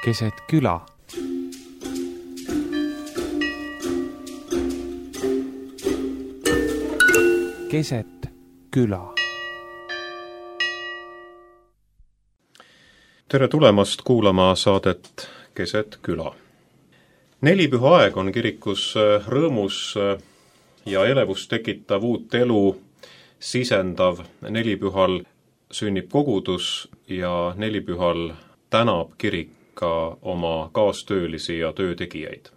keset küla. Keset küla. Tere tulemast kuulama saadet Keset küla. Nelipüha aeg on kirikus rõõmus ja elevust tekitav uut elu sisendav. Nelipühal sünnib kogudus ja nelipühal tänab kirik ka oma kaastöölisi ja töötegijaid.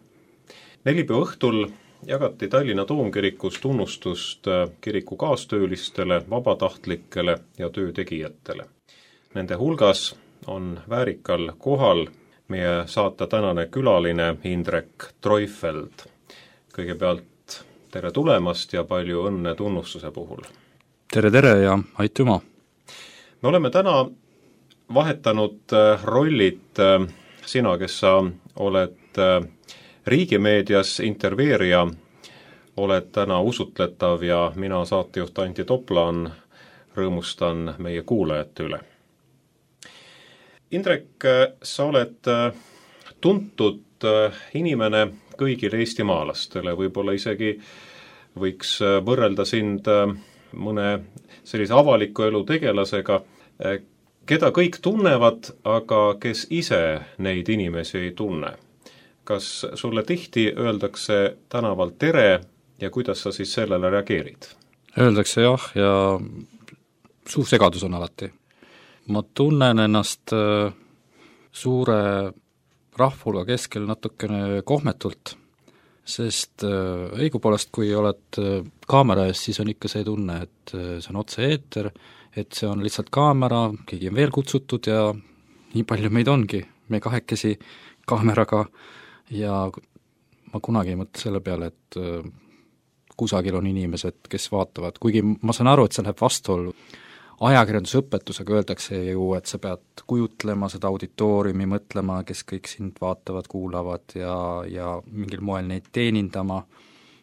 Nelipüha õhtul jagati Tallinna Toomkirikus tunnustust kiriku kaastöölistele, vabatahtlikele ja töötegijatele. Nende hulgas on väärikal kohal meie saate tänane külaline Indrek Treufeld. Kõigepealt tere tulemast ja palju õnne tunnustuse puhul. Tere ja aitüma! Me oleme täna vahetanud rollid. Sina, kes sa oled riigimeedias intervjueerija, oled täna usutletav ja mina, saatejuht Antti Toplan, rõõmustan meie kuulajate üle. Indrek, sa oled tuntud inimene kõigile eestimaalastele, võib-olla isegi võiks võrrelda sind mõne sellise avaliku elu tegelasega, keda kõik tunnevad, aga kes ise neid inimesi ei tunne. Kas sulle tihti öeldakse tänaval tere ja kuidas sa siis sellele reageerid? Öeldakse jah ja suur segadus on alati. Ma tunnen ennast suure rahvulga keskel natukene kohmetult, sest õigupoolest, kui oled kaamera ees, siis on ikka see tunne, et see on otse-eeter, et see on lihtsalt kaamera, keegi on veel kutsutud ja nii palju meid ongi, me kahekesi kaameraga ja ma kunagi ei mõtle selle peale, et kusagil on inimesed, kes vaatavad, kuigi ma saan aru, et see läheb vastuollu. Ajakirjandusõpetusega öeldakse ju, et sa pead kujutlema seda auditooriumi, mõtlema, kes kõik sind vaatavad, kuulavad ja mingil moel neid teenindama.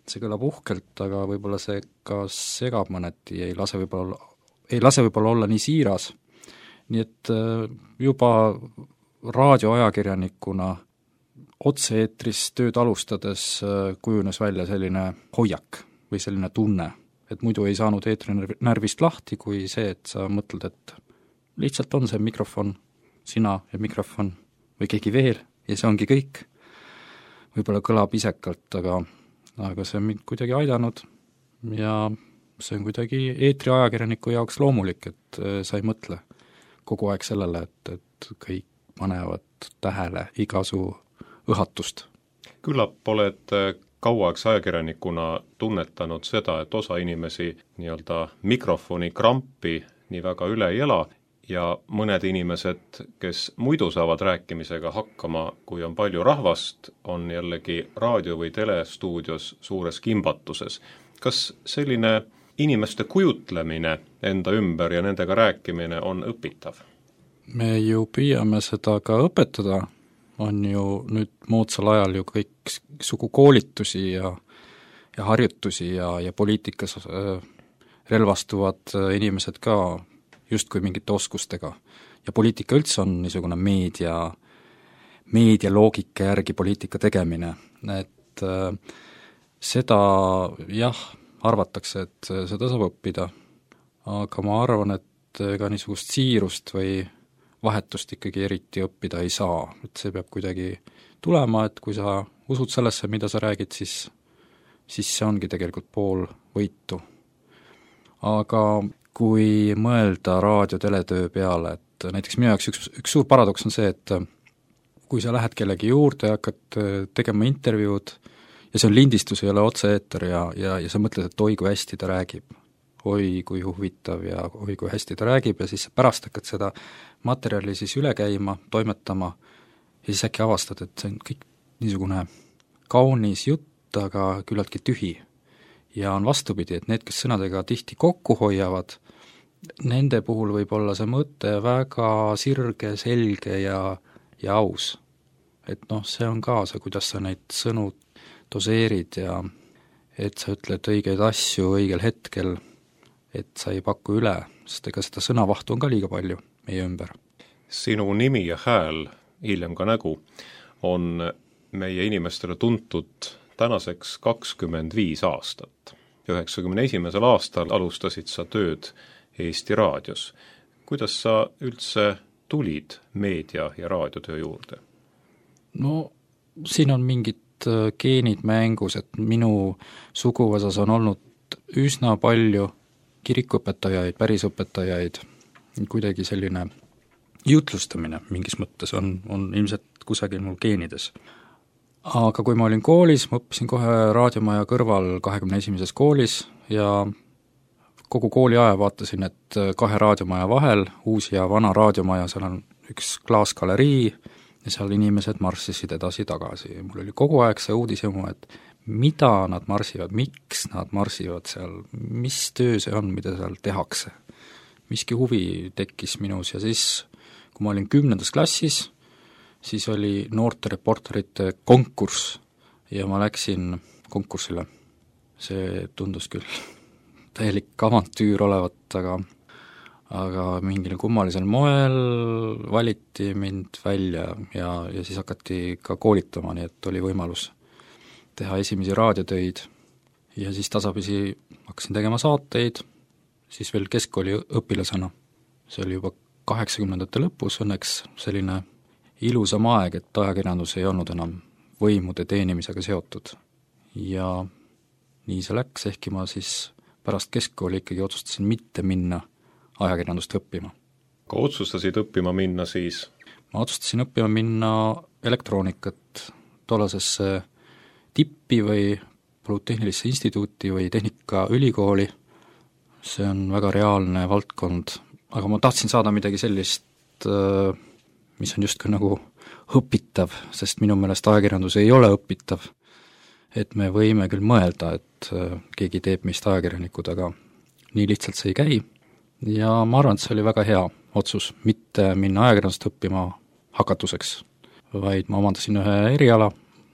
See kõlab uhkelt, aga võib-olla see ka segab mõneti, ei lase võib-olla olla nii siiras. Nii et juba raadioajakirjanikuna otse-eetris tööd alustades kujunes välja selline hoiak või selline tunne, et muidu ei saanud eetri närvist lahti kui see, et sa mõtled, et lihtsalt on see mikrofon, sina ja mikrofon või keegi veel ja see ongi kõik. Võib-olla kõlab isekalt, aga see on mind kuidagi aidanud ja see on kuidagi eetriajakirjaniku jaoks loomulik, et sa ei mõtle kogu aeg sellele, et kõik panevad tähele iga su õhatust. Küllap oled kauaks ajakirjanikuna tunnetanud seda, et osa inimesi nii-öelda mikrofoni krampi nii väga üle ei ela ja mõned inimesed, kes muidu saavad rääkimisega hakkama, kui on palju rahvast, on jällegi raadio- või telestuudios suures kimbatuses. Kas selline inimeste kujutlemine enda ümber ja nendega rääkimine on õpitav? Me ju püüame seda ka õpetada, on ju nüüd moodsal ajal ju kõik sugu koolitusi ja harjutusi ja poliitikas relvastuvad inimesed ka justkui mingite oskustega. Ja poliitika üldse on niisugune meedia loogika järgi poliitika tegemine, et seda jah, arvatakse, et seda saab õppida, aga ma arvan, et ega niisugust siirust või vahetust ikkagi eriti õppida ei saa, et see peab kuidagi tulema, et kui sa usud sellesse, mida sa räägid, siis see ongi tegelikult pool võitu. Aga kui mõelda raadio-teletöö peale, et näiteks minu jaoks üks suur paradoks on see, et kui sa lähed kellegi juurde ja hakkad tegema intervjuud ja see on lindistus, ei ole otse-eeter ja sa mõtled, et oi, kui hästi ta räägib, oi, kui huvitav ja oi, kui hästi ta räägib ja siis pärast hakkad seda materjali siis üle käima, toimetama ja siis äkki avastad, et see on kõik niisugune kaunis jutt, aga küllaltki tühi. Ja on vastupidi, et need, kes sõnadega tihti kokku hoiavad, nende puhul võib olla see mõte väga sirge, selge ja aus. Et see on ka see, kuidas sa neid sõnu doseerid ja et sa ütled õigeid asju õigel hetkel, et sa ei paku üle, sest ega seda sõnavahtu on ka liiga palju meie ümber. Sinu nimi ja hääl hiljem ka nägu, on meie inimestele tuntud tänaseks 25 aastat. 91. aastal alustasid sa tööd Eesti Raadios. Kuidas sa üldse tulid meedia- ja raadiotöö juurde? No siin on mingid geenid mängus, et minu suguvõsas on olnud üsna palju kirikuõpetajaid, pärisõpetajaid, kuidagi selline jutlustamine mingis mõttes on ilmselt kusagil mul geenides. Aga kui ma olin koolis, ma õppisin kohe raadiomaja kõrval 21. koolis ja kogu kooli aja vaatasin, et 2 raadiomaja vahel, uus ja vana raadiomaja, seal on üks klaasgalerii ja seal inimesed marssisid edasi-tagasi. Mul oli kogu aeg see uudishimu, et mida nad marsivad, miks nad marsivad seal, mis töö see on, mida seal tehakse. Miski huvi tekkis minus ja siis, kui ma olin 10. klassis, siis oli noorte reporterite konkurss ja ma läksin konkursile. See tundus küll täielik avantüür olevat, aga mingil kummalisel moel valiti mind välja ja siis hakati ka koolitama, nii et oli võimalus teha esimesi raadiotöid ja siis tasapisi hakkasin tegema saateid, siis veel keskkooli õpilasena. See oli juba 80ndate lõpus õnneks selline ilusam aeg, et ajakirjandus ei olnud enam võimude teenimisega seotud. Ja nii see läks, ehkki ma siis pärast keskkooli ikkagi otsustasin mitte minna ajakirjandust õppima. Kui otsustasid õppima minna siis? Ma otsustasin õppima minna elektroonikat tollasesse tippi või Polütehnilisse instituuti või Tehnikaülikooli. See on väga reaalne valdkond, aga ma tahtsin saada midagi sellist, mis on justkui nagu õpitav, sest minu meelest ajakirjandus ei ole õpitav. Et me võime küll mõelda, et keegi teeb meist ajakirjanikud, aga nii lihtsalt see ei käi. Ja ma arvan, et see oli väga hea otsus, mitte minna ajakirjandust õppima hakatuseks, vaid ma omandasin ühe eriala,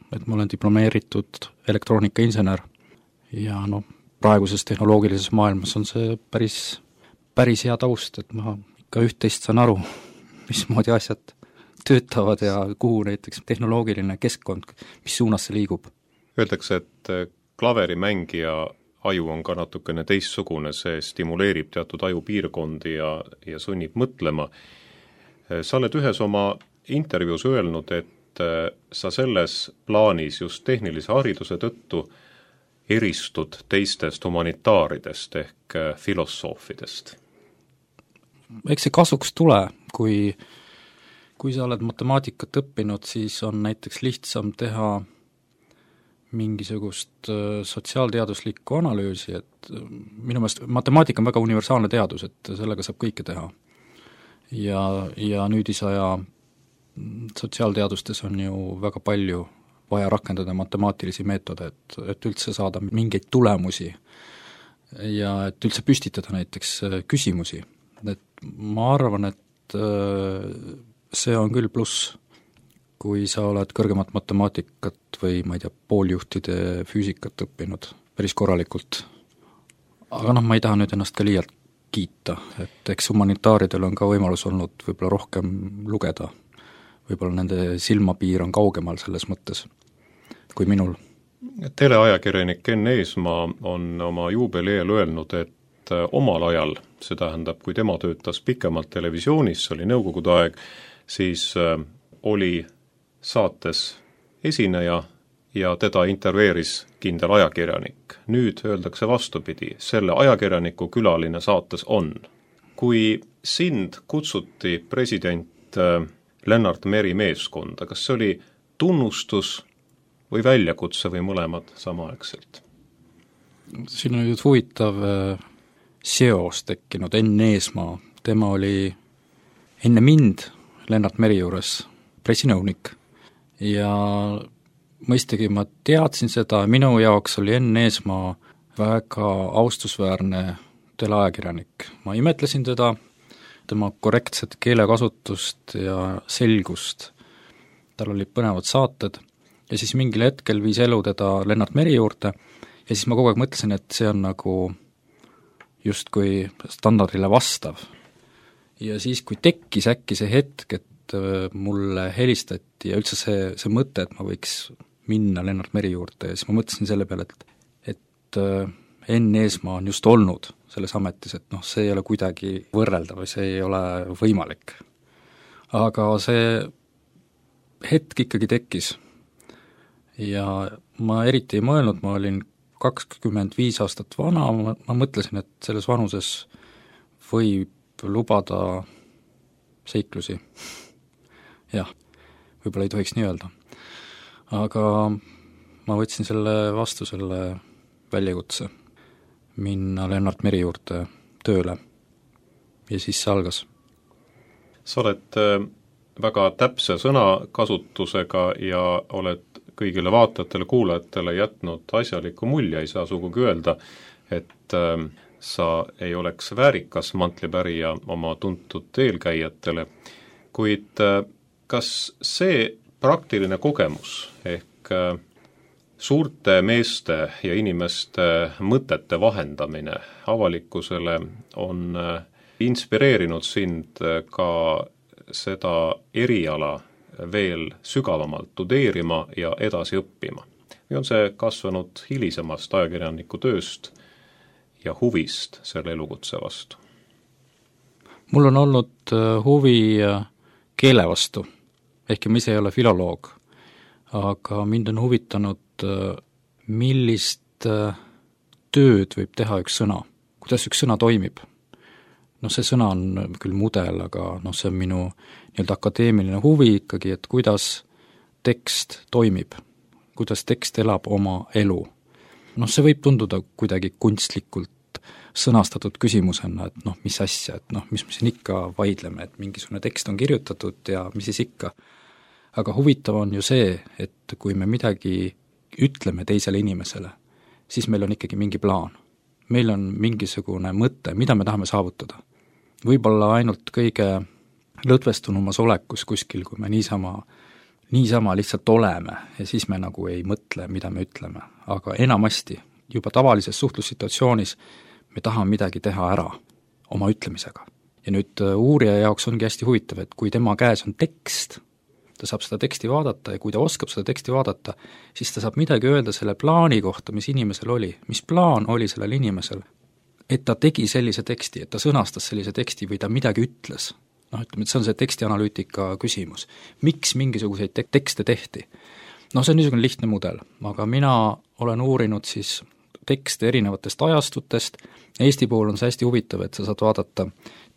et ma olen diplomeeritud elektroonikainsener ja praeguses tehnoloogilises maailmas on see päris hea taust, et ma ikka üht-teist saan aru, mismoodi asjad töötavad ja kuhu näiteks tehnoloogiline keskkond, mis suunas see liigub. Öeldakse, et klaverimängija aju on ka natukene teistsugune, see stimuleerib teatud ajupiirkondi ja sunnib mõtlema. Sa oled ühes oma intervjuus öelnud, et sa selles plaanis just tehnilise hariduse tõttu eristud teistest humanitaaridest ehk filosoofidest. Eks see kasuks tule, kui sa oled matemaatikat õppinud, siis on näiteks lihtsam teha mingisugust sotsiaalteaduslikku analüüsi, et minu meelest matemaatika on väga universaalne teadus, et sellega saab kõike teha. Ja nüüdisaja sotsiaalteadustes on ju väga palju vaja rakendada matemaatilisi meetode, et üldse saada mingeid tulemusi ja et üldse püstitada näiteks küsimusi. Et ma arvan, et see on küll pluss, kui sa oled kõrgemat matemaatikat või ma ei tea, pooljuhtide füüsikat õppinud päris korralikult. Aga ma ei taha nüüd ennast ka liialt kiita, et eks humanitaaridel on ka võimalus olnud võib-olla rohkem lugeda. Võib-olla nende silmapiir on kaugemal selles mõttes kui minul. Teleajakirjanik Enn Eesmaa on oma juubeli eel öelnud, et omal ajal, see tähendab, kui tema töötas pikemalt televisioonis, see oli nõukogude aeg, siis oli saates esineja ja teda intervjueeris kindel ajakirjanik. Nüüd öeldakse vastupidi, selle ajakirjaniku külaline saates on. Kui sind kutsuti president Lennart Meri meeskonda, kas see oli tunnustus või väljakutse või mõlemad samaaegselt? Siin on nüüd huvitav seos tekkinud. Enn Eesmaa, tema oli enne mind Lennart Meri juures pressinõunik ja mõistagi ma teadsin seda, minu jaoks oli Enn Eesmaa väga austusväärne teleajakirjanik. Ma imetlesin teda, tema korrektset keelekasutust ja selgust. Tal olid põnevad saated ja siis mingil hetkel viis elu teda Lennart Meri juurde ja siis ma kogu aeg mõtlesin, et see on nagu justkui standardile vastav. Ja siis, kui tekkis äkki see hetk, et mulle helistati ja üldse see mõte, et ma võiks minna Lennart Meri juurde ja siis ma mõtlesin selle peale, et Enn Eesmaa on just olnud selles ametis, et noh, see ei ole kuidagi võrreldav või see ei ole võimalik. Aga see hetk ikkagi tekkis ja ma eriti ei mõelnud, ma olin 25 aastat vana, ma mõtlesin, et selles vanuses võib lubada seiklusi. Jah, võib-olla ei tohiks nii öelda. Aga ma võtsin vastu selle väljakutse minna Lennart Meri juurde tööle ja siis see algas. Sa oled väga täpse sõnakasutusega ja oled kõigile vaatajatele, kuulajatele jätnud asjaliku mulje, ei saa sugugi öelda, et sa ei oleks väärikas mantlipärija oma tuntud eelkäijatele, kuid kas see praktiline kogemus ehk suurte meeste ja inimeste mõtete vahendamine avalikkusele on inspireerinud sind ka seda eriala veel sügavamalt tudeerima ja edasi õppima? Või on see kasvanud hilisemast ajakirjaniku tööst ja huvist selle elukutse vastu? Mul on olnud huvi keele vastu, ehkki ma ise ei ole filoloog, aga mind on huvitanud, millist tööd võib teha üks sõna, kuidas üks sõna toimib. Noh, see sõna on küll mudel, aga noh, see on minu nii-öelda akadeemiline huvi ikkagi, et kuidas tekst toimib, kuidas tekst elab oma elu. Noh, see võib tunduda kuidagi kunstlikult sõnastatud küsimusena, et noh, mis asja, et noh, mis me siin ikka vaidleme, et mingisugune tekst on kirjutatud ja mis siis ikka. Aga huvitav on ju see, et kui me midagi ütleme teisele inimesele, siis meil on ikkagi mingi plaan. Meil on mingisugune mõte, mida me tahame saavutada. Võib-olla ainult kõige lõdvestunumas olekus kuskil, kui me niisama lihtsalt oleme ja siis me nagu ei mõtle, mida me ütleme. Aga enamasti juba tavalises suhtlussituatsioonis me tahame midagi teha ära oma ütlemisega. Ja nüüd uurija jaoks ongi hästi huvitav, et kui tema käes on tekst, ta saab seda teksti vaadata ja kui ta oskab seda teksti vaadata, siis ta saab midagi öelda selle plaani kohta, mis inimesel oli. Mis plaan oli sellel inimesel? Et ta tegi sellise teksti, et ta sõnastas sellise teksti või ta midagi ütles. Noh, ütleme, et see on see tekstianalüütika küsimus. Miks mingisuguseid tekste tehti? No see on niisugune lihtne mudel, aga mina olen uurinud siis tekste erinevatest ajastutest. Eesti puhul on see hästi huvitav, et sa saad vaadata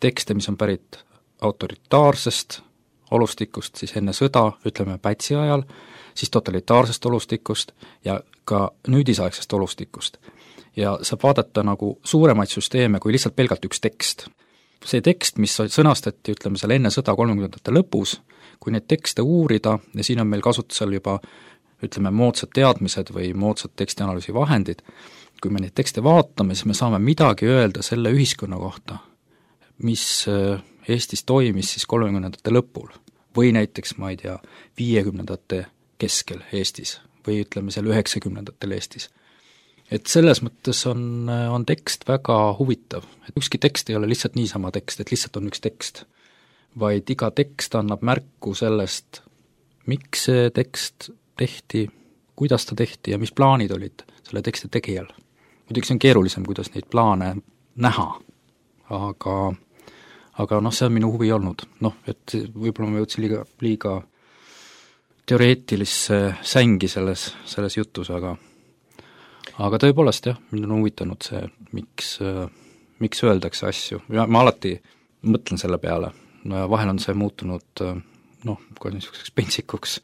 tekste, mis on pärit autoritaarsest olustikust, siis enne sõda, ütleme Pätsi ajal, siis totalitaarsest olustikust ja ka nüüdisaegsest olustikust. Ja saab vaadata nagu suuremaid süsteeme kui lihtsalt pelgalt üks tekst. See tekst, mis sõnastati, ütleme seal enne sõda 30ndate lõpus, kui neid tekste uurida ja siin on meil kasutusel juba, ütleme, moodsad teadmised või moodsad tekstianalüüsi vahendid, kui me neid tekste vaatame, siis me saame midagi öelda selle ühiskonna kohta, mis Eestis toimis siis 30ndate lõpul või näiteks, ma ei tea, 50ndate keskel Eestis või ütleme seal 90ndatel Eestis. Et selles mõttes on tekst väga huvitav, et ükski tekst ei ole lihtsalt niisama tekst, et lihtsalt on üks tekst, vaid iga tekst annab märku sellest, miks see tekst tehti, kuidas ta tehti ja mis plaanid olid selle teksti tegijal. Muidugi see on keerulisem, kuidas neid plaane näha, aga noh, see on minu huvi olnud. Noh, et võib-olla ma jõudsin liiga teoreetilisse sängi selles jutus, aga tõepoolest jah, mind on huvitanud see, miks öeldakse asju. Ja ma alati mõtlen selle peale. No vahel on see muutunud kui niisuguseks pentsikuks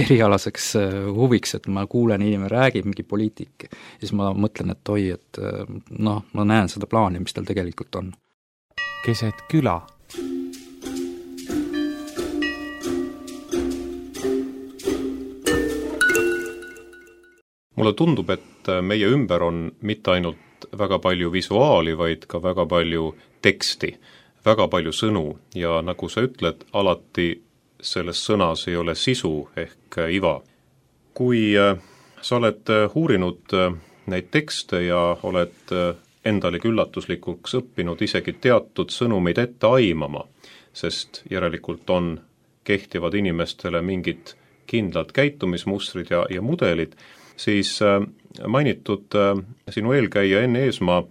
erialaseks huviks, et ma kuulen, inimene räägib mingi poliitik, siis ma mõtlen, et oi, et ma näen seda plaani, mis tal tegelikult on. Keset küla. Mulle tundub, et meie ümber on mitte ainult väga palju visuaali, vaid ka väga palju teksti, väga palju sõnu ja nagu sa ütled, alati selles sõnas ei ole sisu ehk iva. Kui sa oled uurinud neid tekste ja oled endalegi üllatuslikuks õppinud isegi teatud sõnumeid ette aimama, sest järelikult kehtivad inimestele mingid kindlad käitumismustrid ja mudelid, siis mainitud sinu eelkäija Enn Eesmaa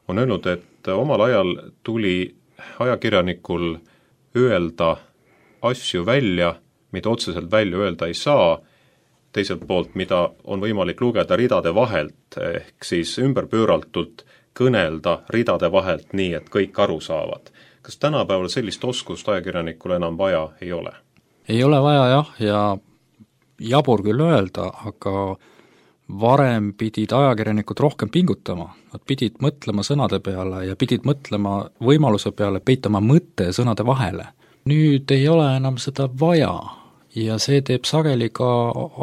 on öelnud, et omal ajal tuli ajakirjanikul öelda asju välja, mida otseselt välja öelda ei saa, teiselt poolt, mida on võimalik lugeda ridade vahelt, ehk siis ümberpööratult kõnelda ridade vahelt nii, et kõik aru saavad. Kas tänapäeval sellist oskust ajakirjanikul enam vaja ei ole? Ei ole vaja jah, ja jabur küll öelda, aga varem pidid ajakirjanikud rohkem pingutama, nad pidid mõtlema sõnade peale ja pidid mõtlema võimaluse peale peitama mõtte sõnade vahele. Nüüd ei ole enam seda vaja ja see teeb sageli ka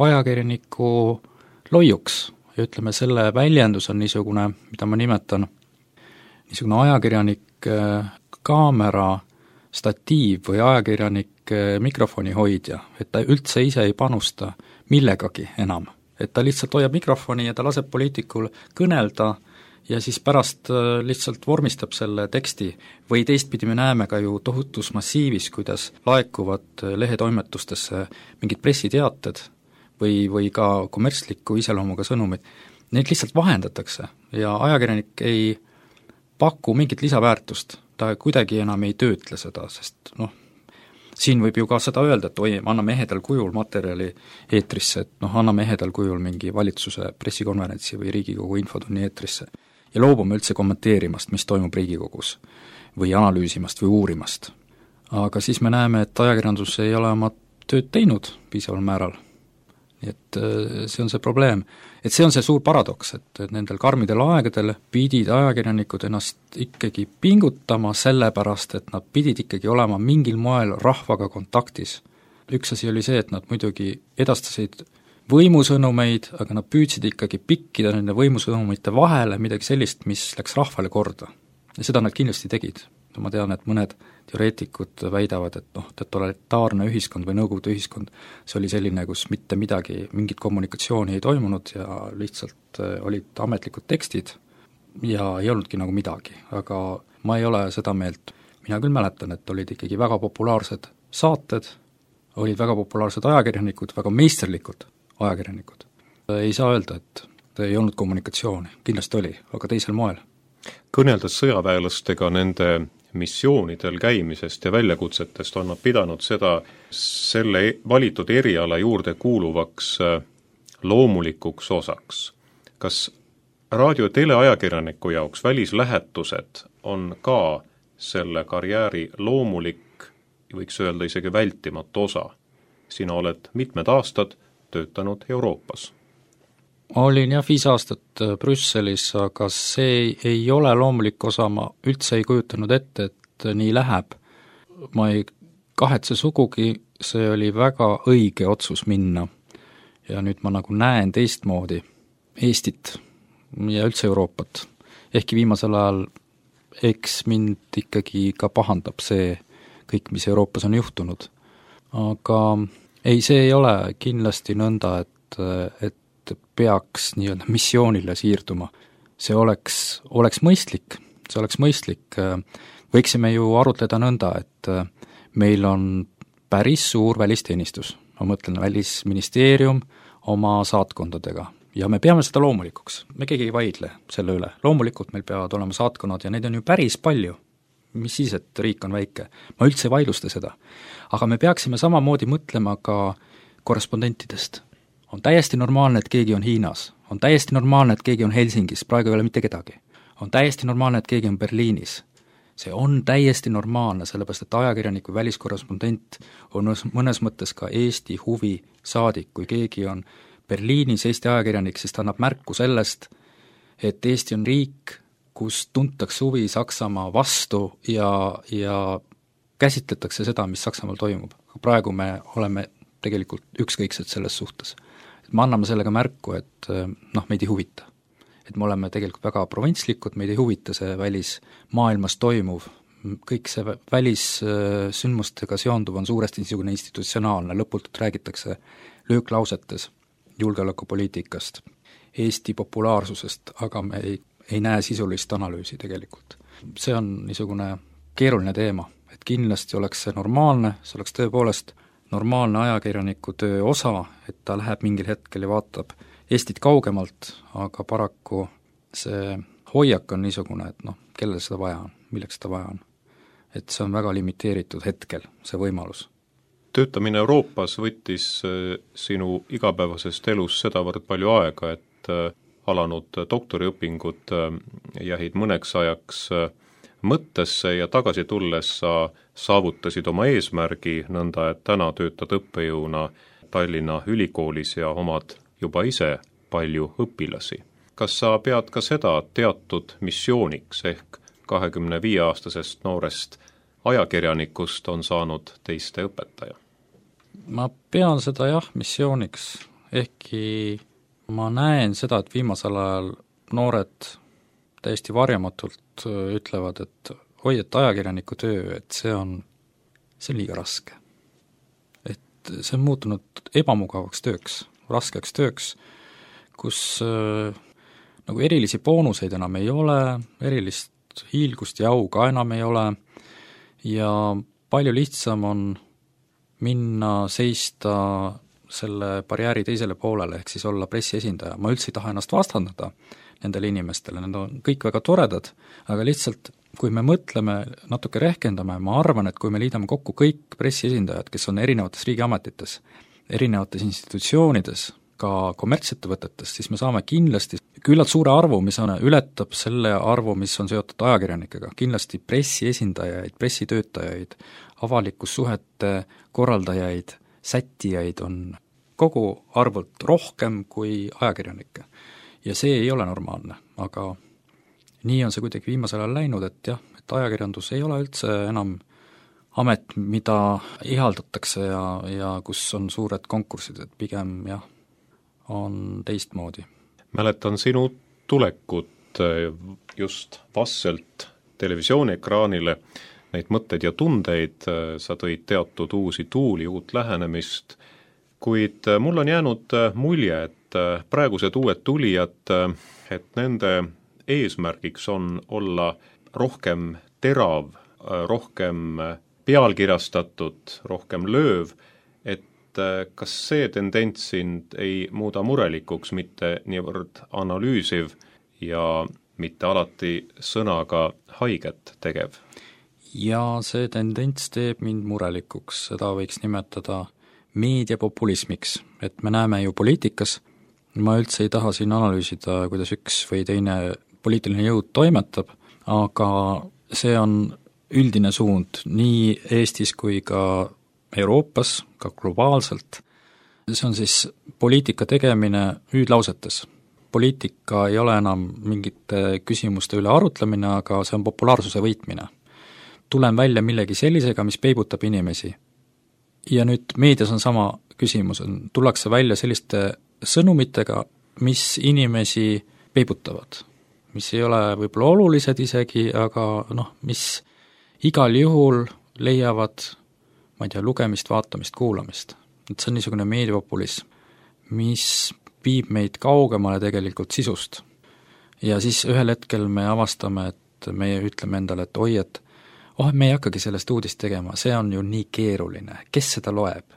ajakirjaniku loiuks. Ja ütleme, selle väljendus on niisugune, mida ma nimetan, niisugune ajakirjanik kaamera statiiv või ajakirjanik mikrofoni hoidja, et ta üldse ise ei panusta millegagi enam. Et ta lihtsalt hoiab mikrofoni ja ta laseb poliitikul kõnelda ja siis pärast lihtsalt vormistab selle teksti. Või teistpidi me näeme ka ju tohutus massiivis, kuidas laekuvad lehetoimetustesse mingid pressiteated või ka kommertsliku iseloomuga sõnumid. Neid lihtsalt vahendatakse ja ajakirjanik ei paku mingit lisaväärtust, ta kuidagi enam ei töötle seda, sest siin võib ju ka seda öelda, et oi, anname ehedal kujul materjali eetrisse, et anname ehedal kujul mingi valitsuse pressikonverentsi või Riigikogu infotunni eetrisse ja loobume üldse kommenteerimast, mis toimub Riigikogus või analüüsimast või uurimast. Aga siis me näeme, et ajakirjandus ei ole oma tööd teinud piisaval määral. Nii et see on see probleem. Et see on see suur paradoks, et nendel karmidel aegadel pidid ajakirjanikud ennast ikkagi pingutama sellepärast, et nad pidid ikkagi olema mingil moel rahvaga kontaktis. Üks asi oli see, et nad muidugi edastasid võimusõnumeid, aga nad püüdsid ikkagi pikkida nende võimusõnumite vahele midagi sellist, mis läks rahvale korda. Ja seda nad kindlasti tegid. Ma tean, et mõned teoreetikud väidavad, et totalitaarne ühiskond või nõukogude ühiskond, see oli selline, kus mitte midagi, mingit kommunikatsiooni ei toimunud ja lihtsalt olid ametlikud tekstid ja ei olnudki nagu midagi, aga ma ei ole seda meelt. Mina küll mäletan, et olid ikkagi väga populaarsed saated, olid väga populaarsed ajakirjanikud, väga meisterlikud ajakirjanikud. Ei saa öelda, et ei olnud kommunikatsiooni, kindlasti oli, aga teisel moel. Kõneldes sõjaväelastega nende missioonidel käimisest ja väljakutsetest on nad pidanud seda selle valitud eriala juurde kuuluvaks loomulikuks osaks. Kas raadio- ja teleajakirjaniku jaoks välislähetused on ka selle karjääri loomulik, võiks öelda isegi vältimatu osa? Sina oled mitmed aastad töötanud Euroopas. Olin jah 5 aastat Brüsselis, aga see ei ole loomulik osa, ma üldse ei kujutanud ette, et nii läheb. Ma ei kahetse sugugi, see oli väga õige otsus minna. Ja nüüd ma nagu näen teistmoodi Eestit ja üldse Euroopat. Ehkki viimasel ajal eks mind ikkagi ka pahandab see kõik, mis Euroopas on juhtunud. Aga ei, see ei ole kindlasti nõnda, et peaks nii-öelda missioonile siirduma. See oleks mõistlik, Võiksime ju arutleda nõnda, et meil on päris suur välisteenistus, ma mõtlen välisministeerium oma saatkondadega ja me peame seda loomulikuks, me keegi ei vaidle selle üle, loomulikult meil peavad olema saatkonnad ja neid on ju päris palju, mis siis, et riik on väike, ma üldse ei vaidlusta seda, aga me peaksime samamoodi mõtlema ka korrespondentidest. On täiesti normaalne, et keegi on Hiinas, on täiesti normaalne, et keegi on Helsingis, praegu ei ole mitte kedagi. On täiesti normaalne, et keegi on Berliinis. See on täiesti normaalne, sellepärast et ajakirjanik või väliskorrespondent on mõnes mõttes ka Eesti huvi saadik. Kui keegi on Berliinis Eesti ajakirjanik, siis ta annab märku sellest, et Eesti on riik, kus tuntakse huvi Saksamaa vastu ja käsitletakse seda, mis Saksamaal toimub. Praegu me oleme tegelikult ükskõiksed selles suhtes. Me anname sellega märku, et meid ei huvita. Et me oleme tegelikult väga provintslikud, meid ei huvita see välismaailmas toimuv. Kõik see välissündmustega seonduv on suuresti niisugune institutsionaalne, lõputult räägitakse lööklausetes julgeolekupoliitikast, Eesti populaarsusest, aga me ei näe sisulist analüüsi tegelikult. See on niisugune keeruline teema et kindlasti oleks see normaalne, see oleks tõepoolest normaalne ajakirjaniku töö osa, et ta läheb mingil hetkel ja vaatab Eestit kaugemalt, aga paraku see hoiak on niisugune, et kellel seda vaja on, milleks seda vaja on. Et see on väga limiteeritud hetkel, see võimalus. Töötamine Euroopas võttis sinu igapäevasest elus sedavõrd palju aega, et alanud doktoriõpingud jäid mõneks ajaks mõttesse ja tagasi tulles sa saavutasid oma eesmärgi nõnda, et täna töötad õppejõuna Tallinna Ülikoolis ja omad juba ise palju õpilasi. Kas sa pead ka seda teatud missiooniks ehk 25-aastasest noorest ajakirjanikust on saanud teiste õpetaja? Ma pean seda jah missiooniks, ehkki ma näen seda, et viimasel ajal noored täiesti varjamatult ütlevad, et oi, et ajakirjaniku töö, et see on liiga raske. Et see on muutunud ebamugavaks tööks, raskeks tööks, kus nagu erilisi boonuseid enam ei ole, erilist hiilgust ja au ka enam ei ole ja palju lihtsam on minna seista selle barjääri teisele poolele, ehk siis olla pressiesindaja. Ma üldse ei taha ennast vastandada nendele inimestele, need on kõik väga toredad, aga lihtsalt kui me mõtleme, natuke rehkendame, ma arvan, et kui me liidame kokku kõik pressiesindajad, kes on erinevates riigiametites, erinevates institutsioonides, ka kommertsettevõtetes, siis me saame kindlasti küllalt suure arvu, mis ületab selle arvu, mis on seotud ajakirjanikega, kindlasti pressiesindajaid, pressitöötajaid, avalikussuhete korraldajaid, sättijaid on kogu arvult rohkem kui ajakirjanikke. Ja see ei ole normaalne, aga nii on see kuidagi viimasel ajal läinud, et jah, et ajakirjandus ei ole üldse enam amet, mida ihaldatakse ja kus on suured konkursid, et pigem jah, on teistmoodi. Mäletan sinu tulekut just vastselt televisiooniekraanile, neid mõtteid ja tundeid, sa tõid teatud uusi tuuli, uut lähenemist, kuid mul on jäänud mulje, et praegused uued tulijad, et nende eesmärgiks on olla rohkem terav, rohkem pealkirjastatud, rohkem lööv, et kas see tendents sind ei muuda murelikuks, mitte niivõrd analüüsiv ja mitte alati sõnaga haiget tegev? Ja see tendents teeb mind murelikuks, seda võiks nimetada meediapopulismiks, et me näeme ju poliitikas, ma üldse ei taha siin analüüsida, kuidas üks või teine poliitiline jõud toimetab, aga see on üldine suund nii Eestis kui ka Euroopas, ka globaalselt. See on siis poliitika tegemine hüüdlausetes. Poliitika ei ole enam mingite küsimuste üle arutlemine, aga see on populaarsuse võitmine. Tulen välja millegi sellisega, mis peibutab inimesi. Ja nüüd meedias on sama küsimus, tullakse välja selliste sõnumitega, mis inimesi peibutavad, mis ei ole võib-olla olulised isegi, aga mis igal juhul leiavad, ma ei tea, lugemist, vaatamist, kuulamist. Et see on niisugune meediapopulism, mis viib meid kaugemale tegelikult sisust. Ja siis ühel hetkel me avastame, et me ütleme endale, et oi, et me ei hakkagi sellest uudist tegema, see on ju nii keeruline, kes seda loeb?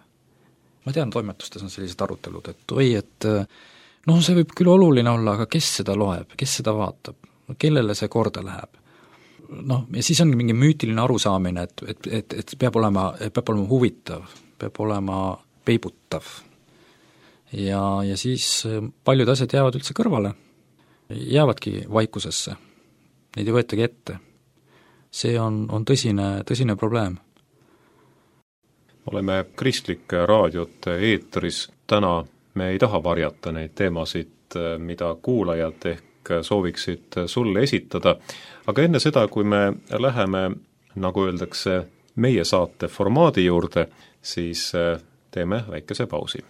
Ma tean, toimetustes on sellised arutelud, et oi, et see võib küll oluline olla, aga kes seda loeb, kes seda vaatab, kellele see korda läheb? Ja siis on mingi müütiline arusaamine, et peab olema huvitav, peab olema peibutav. Ja siis paljud asjad jäävad üldse kõrvale, jäävadki vaikusesse, neid ei võetagi ette. See on tõsine probleem. Oleme kristlike raadiote eetris, täna me ei taha varjata neid teemasid, mida kuulajad ehk sooviksid sulle esitada, aga enne seda, kui me läheme, nagu öeldakse, meie saate formaadi juurde, siis teeme väikese pausi.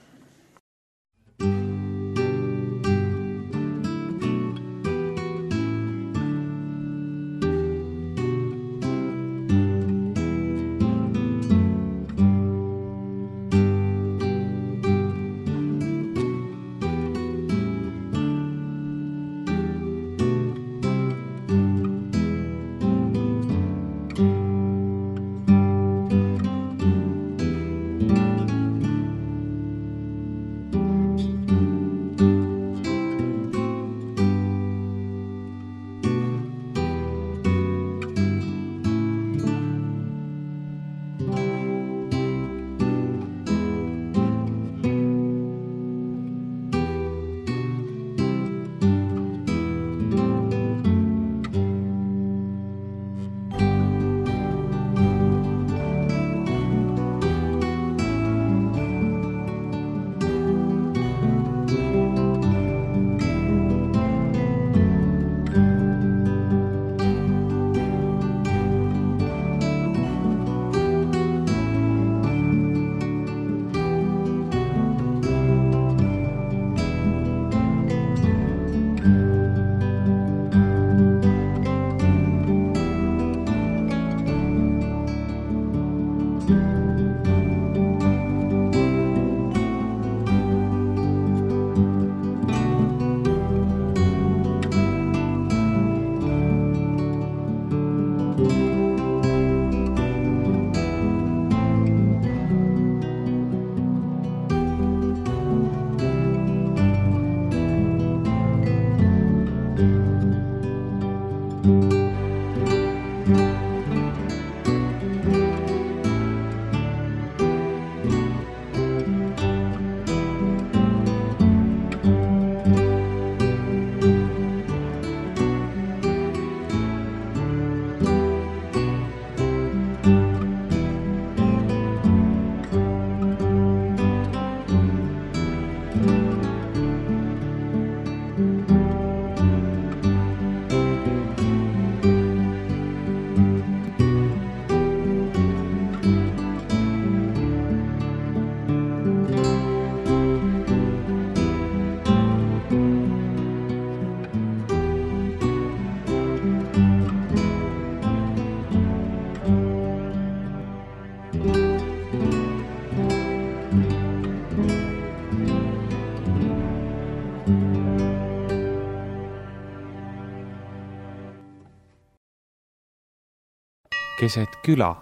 keset küla.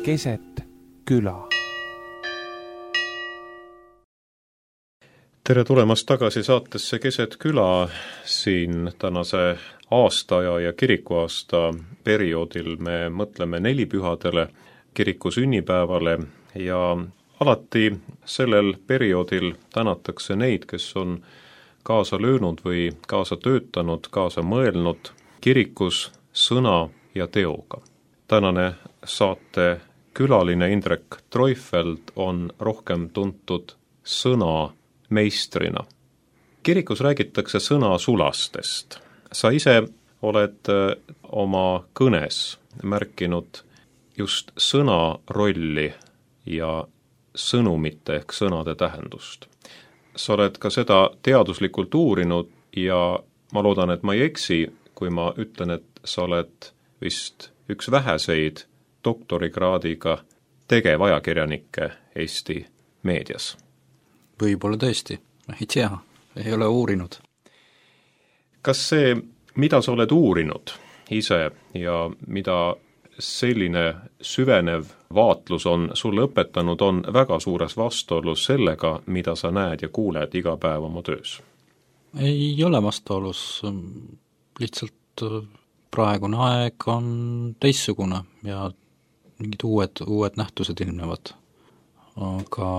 Keset küla. Tere tulemast tagasi saatesse Keset küla. Siin tänase aastaaja ja kirikuaasta perioodil me mõtleme nelipühadele, kiriku sünnipäevale ja alati sellel perioodil tänatakse neid, kes on kaasa löönud või kaasa töötanud, kaasa mõelnud kirikus sõna ja teoga. Tänane saate külaline Indrek Treufeld on rohkem tuntud sõna meistrina. Kirikus räägitakse sõna sulastest. Sa ise oled oma kõnes märkinud just sõna rolli ja sõnumite ehk sõnade tähendust. Sa oled ka seda teaduslikult uurinud ja ma loodan, et ma ei eksi, kui ma ütlen, et sa oled vist üks väheseid doktorikraadiga tegevajakirjanikke Eesti meedias. Võib-olla tõesti, ei tea, ei ole uurinud. Kas see, mida sa oled uurinud ise ja mida selline süvenev vaatlus on sulle õpetanud, on väga suures vastuolus sellega, mida sa näed ja kuuled iga päev oma töös? Ei ole vastuolus, lihtsalt praegune aeg on teissugune ja mingid uued nähtused ilmnevad. Aga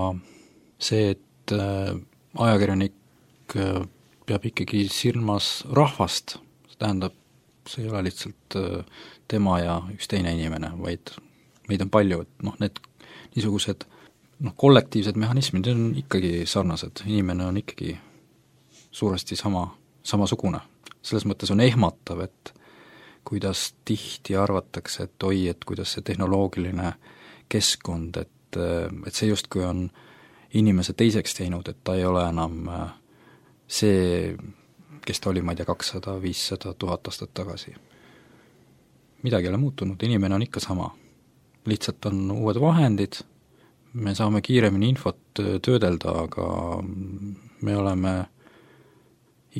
see, et ajakirjanik peab ikkagi silmas rahvast, see tähendab, see ei ole lihtsalt tema ja üks teine inimene, vaid meid on palju, et need niisugused kollektiivsed mehhanismid on ikkagi sarnased, inimene on ikkagi suuresti samasugune. Selles mõttes on ehmatav, et kuidas tihti arvatakse, et oi, et kuidas see tehnoloogiline keskkond, et see justkui on inimese teiseks teinud, et ta ei ole enam see, kes ta oli, ma ei tea, 200, 500, 1000 aastat tagasi. Midagi ei ole muutunud, inimene on ikka sama. Lihtsalt on uued vahendid, me saame kiiremini infot töödelda, aga me oleme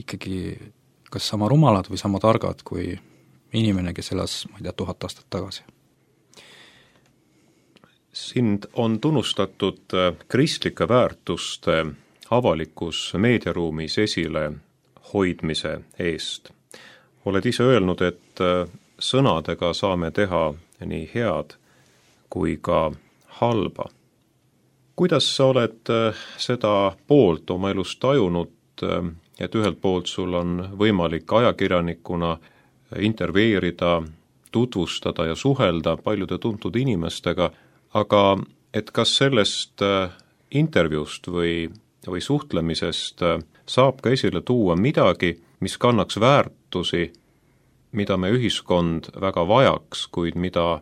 ikkagi kas sama rumalad või sama targad kui inimene, kes elas, ma ei tea, 1000 aastat tagasi. Sind on tunnustatud kristlike väärtuste avalikus meediaruumis esile hoidmise eest. Oled ise öelnud, et sõnadega saame teha nii head kui ka halba. Kuidas sa oled seda poolt oma elus tajunud, et ühelt poolt sul on võimalik ajakirjanikuna intervjueerida, tutvustada ja suhelda paljude tuntud inimestega, aga et kas sellest intervjuust või suhtlemisest saab ka esile tuua midagi, mis kannaks väärtusi, mida me ühiskond väga vajaks, kuid mida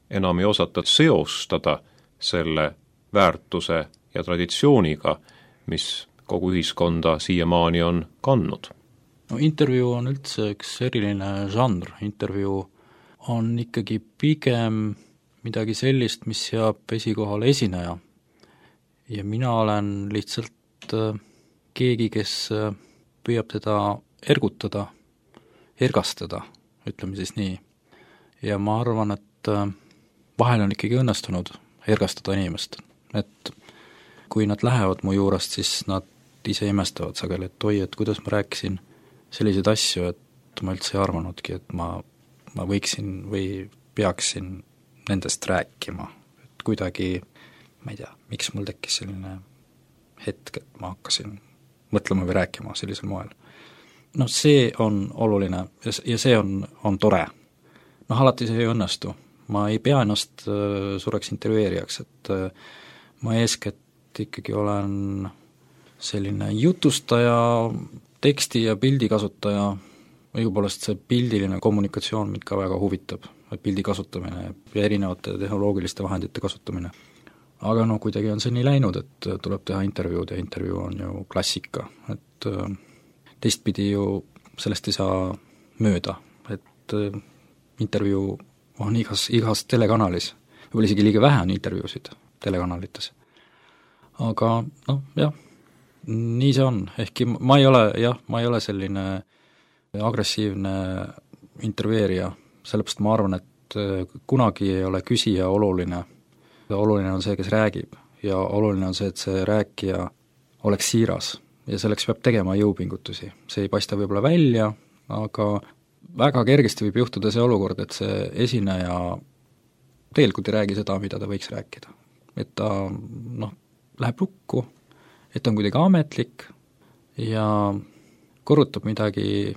enam ei osata seostada selle väärtuse ja traditsiooniga, mis kogu ühiskonda siiamaani on kandnud? Intervjuu on üldse üks eriline žanr, intervjuu on ikkagi pigem midagi sellist, mis seab esikohale esineja. Ja mina olen lihtsalt keegi, kes püüab teda ergutada, ergastada, ütleme siis nii. Ja ma arvan, et vahel on ikkagi õnnestunud ergastada inimest. Et kui nad lähevad mu juurest, siis nad ise imestavad sageli, et oi, et kuidas ma rääkisin selliseid asju, et ma üldse ei arvanudki, et ma võiksin või peaksin nendest rääkima. Et kuidagi, ma ei tea, miks mul tekkis selline hetk, et ma hakkasin mõtlema või rääkima sellisel moel. See on oluline ja see on tore. Alati see ei õnnestu. Ma ei pea ennast suureks intervjueerijaks, et ma eeskätt ikkagi olen selline jutustaja, teksti ja pildi kasutaja, õigupoolest see pildiline kommunikatsioon mind ka väga huvitab, pildi kasutamine ja erinevate tehnoloogiliste vahendite kasutamine. Aga kuidagi on see nii läinud, et tuleb teha intervjuud ja intervjuu on ju klassika, et teistpidi ju sellest ei saa mööda, et intervjuu on igas telekanalis, võib-olla isegi liiga vähe on intervjuusid telekanalites. Aga jah, nii see on, ehkki ma ei ole selline agressiivne intervjueerija, sellepärast ma arvan, et kunagi ei ole küsija oluline on see, kes räägib ja oluline on see, et see rääkija oleks siiras ja selleks peab tegema jõupingutusi. See ei paista võib-olla välja, aga väga kergesti võib juhtuda see olukord, et see esineja tegelikult ei räägi seda, mida ta võiks rääkida. Et ta läheb lukku, et ta on kuidagi ametlik ja korrutab midagi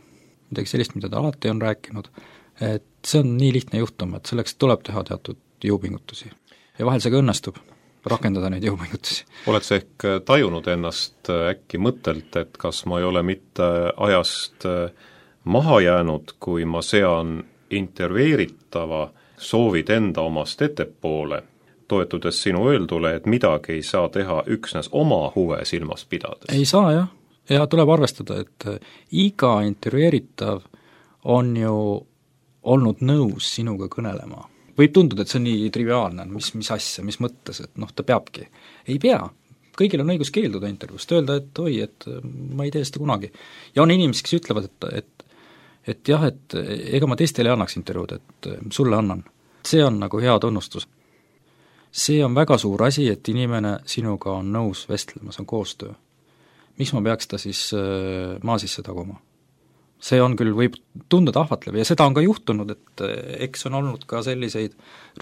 sellist, mida ta alati on rääkinud, et see on nii lihtne juhtum, et selleks tuleb teha teatud jõupingutusi. Ja vahel see ka õnnestub rakendada neid jõupingutusi. Oled sa ehk tajunud ennast äkki mõttelt, et kas ma ei ole mitte ajast maha jäänud, kui ma sean intervjueeritava soovid enda omast ettepoole, toetudes sinu öeldule, et midagi ei saa teha üksnes oma huve silmas pidades? Ei saa jah, ja tuleb arvestada, et iga intervjueeritav on ju olnud nõus sinuga kõnelema. Võib tunduda, et see on nii triviaalne, mis asja, mis mõttes, et ta peabki. Ei pea, kõigil on õigus keelduda intervjuust, öelda, et oi, et ma ei tee seda kunagi. Ja on inimesed, kes ütlevad, et jah, et ega ma teistele ei annaks intervjuud, et sulle annan. See on nagu hea tunnustus. See on väga suur asi, et inimene sinuga on nõus vestlema, see on koostöö. Miks ma peaks ta siis maa sisse taguma? See on küll, võib tunduda ahvatlev ja seda on ka juhtunud, et eks on olnud ka selliseid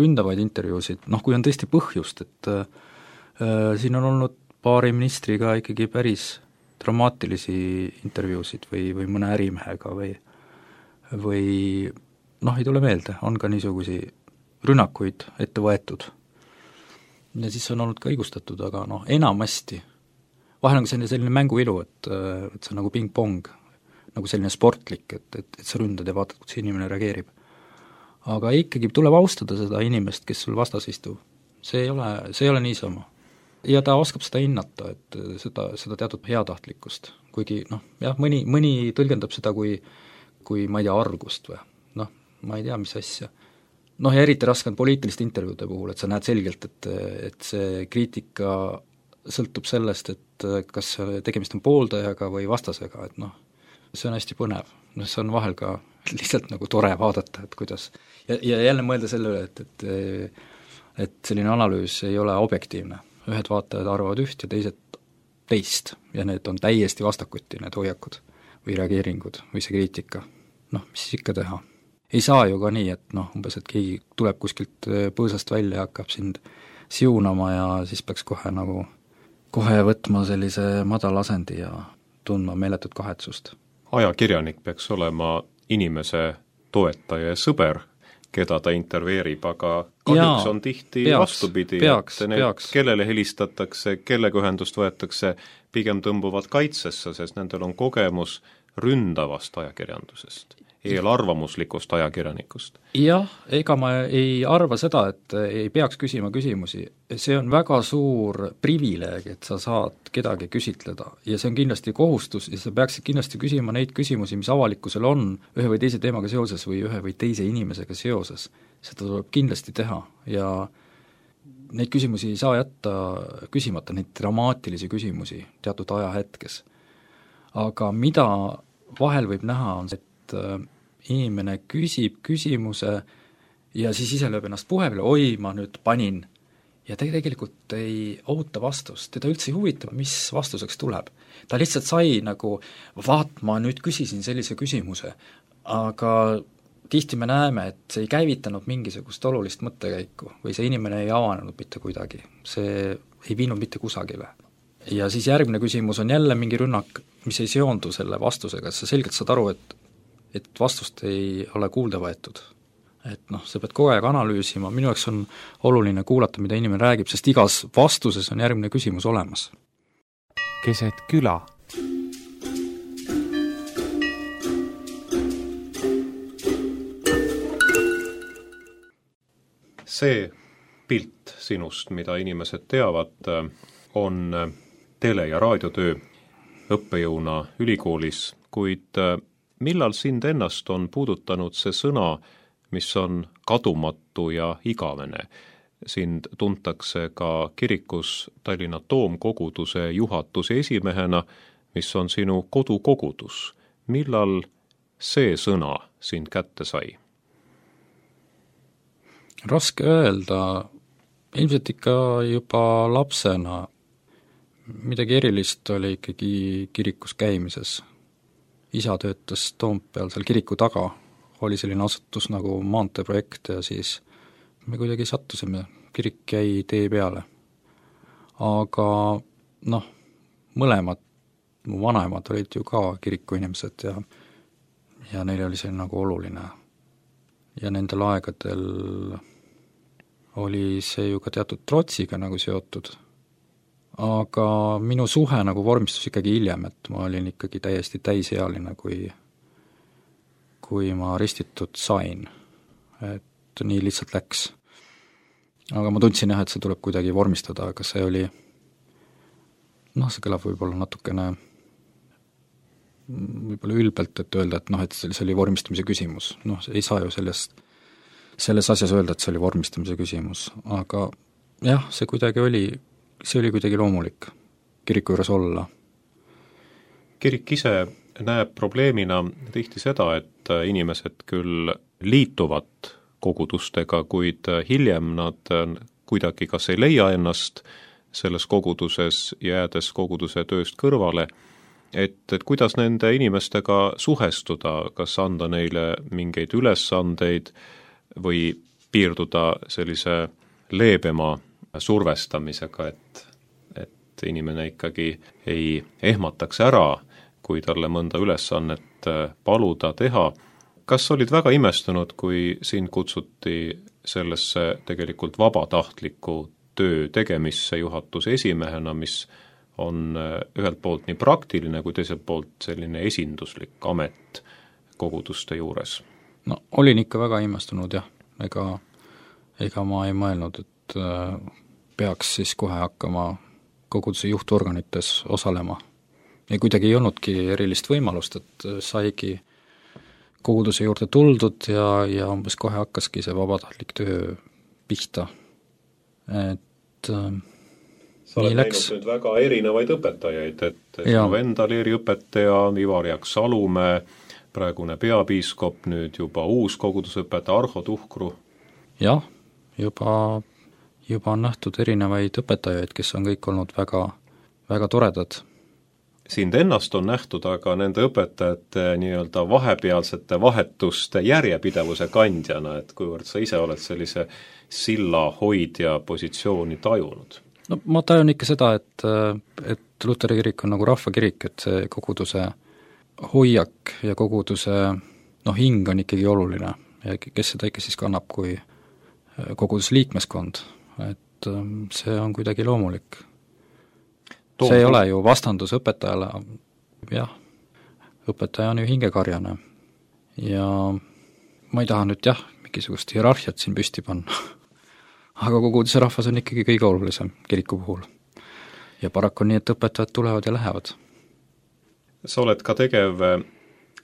ründavaid intervjuusid, kui on tõesti põhjust, et siin on olnud paari ministriga ikkagi päris dramaatilisi intervjuusid või mõne ärimehega või ei tule meelde, on ka niisugusi rünnakuid ette võetud. Ja siis on olnud ka õigustatud, aga enamasti vahel on selline mänguilu, et see on nagu ping-pong, nagu selline sportlik, et sa ründad ja vaatad, kuidas inimene reageerib. Aga ikkagi tuleb austada seda inimest, kes sul vastas istub. See ei ole niisama. Ja ta oskab seda hinnata, et seda teatud heatahtlikkust. Kuigi mõni tõlgendab seda kui ma ei tea, argust või ma ei tea, mis asja. Ja eriti raske on poliitiliste intervjuude puhul, et sa näed selgelt, et see kriitika sõltub sellest, et kas tegemist on pooldajaga või vastasega, et see on hästi põnev. See on vahel ka lihtsalt nagu tore vaadata, et kuidas ja jälle mõelda selle üle, et selline analüüs ei ole objektiivne. Ühed vaatajad arvavad üht ja teised teist ja need on täiesti vastakuti, need hoiakud või reageeringud või see kriitika. Mis siis ikka teha? Ei saa ju ka nii, et umbes, et keegi tuleb kuskilt põõsast välja ja hakkab sind siunama ja siis peaks kohe võtma sellise madala asendi ja tundma meeletut kahetsust. Ajakirjanik peaks olema inimese toetaja ja sõber, keda ta intervjueerib, aga kahjuks on tihti vastupidi, kellele helistatakse, kellega ühendust võetakse, pigem tõmbuvad kaitsesse, sest nendel on kogemus ründavast ajakirjandusest, eelarvamuslikust ajakirjanikust. Jah, ega ma ei arva seda, et ei peaks küsima küsimusi. See on väga suur privileeg, et sa saad kedagi küsitleda ja see on kindlasti kohustus ja sa peaksid kindlasti küsima neid küsimusi, mis avalikkusel on ühe või teise teemaga seoses või ühe või teise inimesega seoses. Seda tuleb kindlasti teha ja neid küsimusi ei saa jätta küsimata, neid dramaatilisi küsimusi teatud ajahetkes. Aga mida vahel võib näha on see, et inimene küsib küsimuse ja siis ise lööb ennast puhe peale, oi, ma nüüd panin, ja ta tegelikult ei oota vastust, teda üldse ei huvita, mis vastuseks tuleb. Ta lihtsalt sai vaat, ma nüüd küsisin sellise küsimuse, aga tihti me näeme, et see ei käivitanud mingisugust olulist mõttekäiku või see inimene ei avanenud mitte kuidagi, see ei viinud mitte kusagile. Ja siis järgmine küsimus on jälle mingi rünnak, mis ei seondu selle vastusega, sa selgelt saad aru, et vastust ei ole kuulda võetud. Et sa pead kogu aeg analüüsima, minu jaoks on oluline kuulata, mida inimene räägib, sest igas vastuses on järgmine küsimus olemas. Keset küla. See pilt sinust, mida inimesed teavad, on tele- ja raadiotöö õppejõuna ülikoolis, kuid millal sind ennast on puudutanud see sõna, mis on kadumatu ja igavene? sind tuntakse ka kirikus Tallinna Toomkoguduse juhatuse esimehena, mis on sinu kodukogudus. Millal see sõna sind kätte sai? Raske öelda, ilmselt ikka juba lapsena. Midagi erilist oli ikkagi kirikus käimises. Isa töötas Toompeal seal kiriku taga, oli selline asutus nagu maanteeprojekt ja siis me kuidagi sattusime, kirik jäi tee peale. Aga mõlemad mu vanemad olid ju ka kirikuinimesed ja neil oli see nagu oluline. Ja nendel aegadel oli see ju ka teatud trotsiga nagu seotud. Aga minu suhe nagu vormistus ikkagi hiljem, et ma olin ikkagi täiesti täisealine, kui ma ristitud sain. Et nii lihtsalt läks. Aga ma tundsin jah, et see tuleb kuidagi vormistada, aga see oli, see kõlab võib-olla natukene ülbelt, et öelda, et see oli vormistamise küsimus. Ei saa ju selles asjas öelda, et see oli vormistamise küsimus, aga jah, see oli kuidagi loomulik kiriku juures olla. Kirik ise näeb probleemina tihti seda, et inimesed küll liituvad kogudustega, kuid hiljem nad kuidagi kas ei leia ennast selles koguduses, jäädes koguduse tööst kõrvale, et kuidas nende inimestega suhestuda, kas anda neile mingeid ülesandeid või piirduda sellise leebema survestamisega, et inimene ikkagi ei ehmataks ära, kui talle mõnda ülesannet paluda teha. Kas olid väga imestunud, kui sind kutsuti sellesse tegelikult vabatahtliku töö tegemisse juhatuse esimehena, mis on ühelt poolt nii praktiline kui teiselt poolt selline esinduslik amet koguduste juures? Olin ikka väga imestunud jah, ega ma ei mõelnud, et peaks siis kohe hakkama koguduse juhtorganites osalema. Ja kuidagi ei olnudki erilist võimalust, et saigi koguduse juurde tuldud ja umbes kohe hakkaski see vabatahtlik töö pihta. Et sa oled näinud nüüd väga erinevaid õpetajaid, et sinu enda leeriõpetaja Ivar Jaks Salumäe, praegune peapiiskop, nüüd juba uus kogudusõpetaja Arho Tuhkru. Jah, juba on nähtud erinevaid õpetajaid, kes on kõik olnud väga, väga toredad. Sind ennast on nähtud aga nende õpetajate nii-öelda vahepealsete vahetuste järjepidevuse kandjana, et kuivõrd sa ise oled sellise silla hoidja positsiooni tajunud? Ma tajun ikka seda, et Luteri kirik on nagu rahvakirik, et see koguduse hoiak ja koguduse hing on ikkagi oluline ja kes seda ikka siis kannab kui koguduse liikmeskond, et see on kuidagi loomulik. See ei ole ju vastandus õpetajale, jah, õpetaja on ju hingekarjane ja ma ei taha nüüd mingisugust hierarhiat siin püsti panna, aga koguduse rahvas on ikkagi kõige olulisem kiriku puhul. Ja paraku on nii, et õpetajad tulevad ja lähevad. Sa oled ka tegev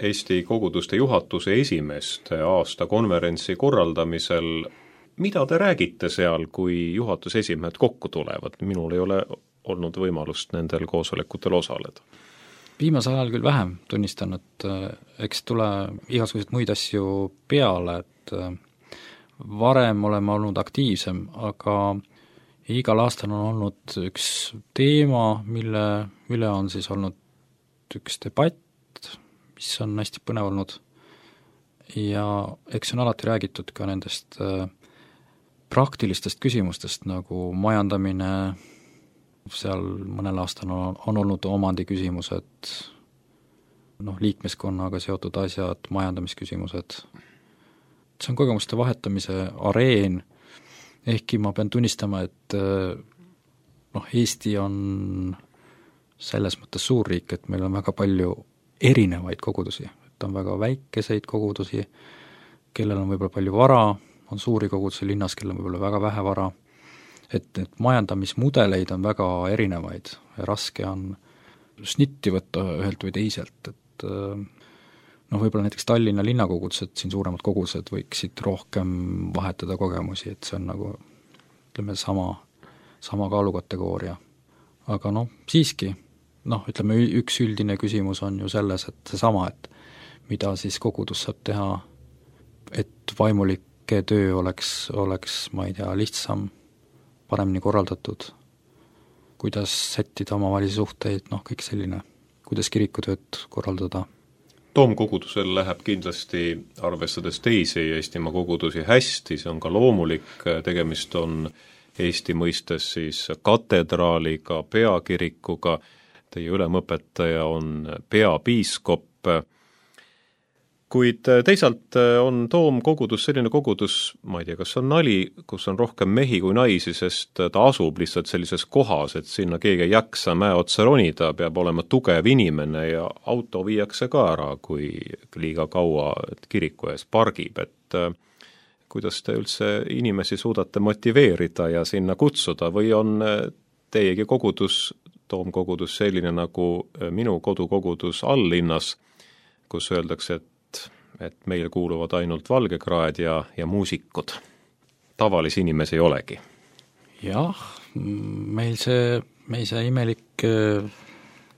Eesti koguduste juhatuse esimeste aasta konverentsi korraldamisel. Mida te räägite seal, kui juhatuse esimehed kokku tulevad? Minul ei ole olnud võimalust nendel koosolekutel osaleda. Viimasel ajal küll vähem tunnistan, et eks tule igasugused muid asju peale, et varem oleme olnud aktiivsem, aga igal aastal on olnud üks teema, mille üle on siis olnud üks debatt, mis on hästi põnev olnud ja eks on alati räägitud ka nendest praktilistest küsimustest nagu majandamine, seal mõnel aastal on olnud omandi küsimused, liikmeskonnaga seotud asjad, majandamisküsimused. See on kogemuste vahetamise areen, ehkki ma pean tunnistama, et Eesti on selles mõttes suur riik, et meil on väga palju erinevaid kogudusi, et on väga väikeseid kogudusi, kellel on võib-olla palju vara, on suuri kogudusi linnas, kellel on võib-olla väga vähe vara, et majandamismudeleid on väga erinevaid ja raske on snitti võtta ühelt või teiselt, et võib-olla näiteks Tallinna linnakogudused, siin suuremad kogudused võiksid rohkem vahetada kogemusi, et see on nagu ütleme, sama kaalukategooria. Aga siiski, ütleme, üks üldine küsimus on ju selles, et seesama, et mida siis kogudus saab teha, et vaimulike töö oleks, ma ei tea, lihtsam, paremini korraldatud, kuidas sättida omavahelisi suhteid, kõik selline, kuidas kirikutööd korraldada. Toomkogudusel läheb kindlasti, arvestades teisi Eestimaa kogudusi, hästi, see on ka loomulik, tegemist on Eesti mõistes siis katedraaliga, peakirikuga, teie ülemõpetaja on peapiiskop, kuid teisalt on Toomkogudus selline kogudus, ma ei tea, kas on nali, kus on rohkem mehi kui naisi, sest ta asub lihtsalt sellises kohas, et sinna keegi ei jaksa mäe otsa ronida, peab olema tugev inimene ja auto viiakse ka ära, kui liiga kaua kiriku ees pargib, et kuidas te üldse inimesi suudate motiveerida ja sinna kutsuda või on teiegi kogudus, Toomkogudus selline nagu minu kodukogudus alllinnas, kus öeldakse, et meil kuuluvad ainult valgekraed ja muusikud. Tavalisi inimesi ei olegi. Jah, meil see imelik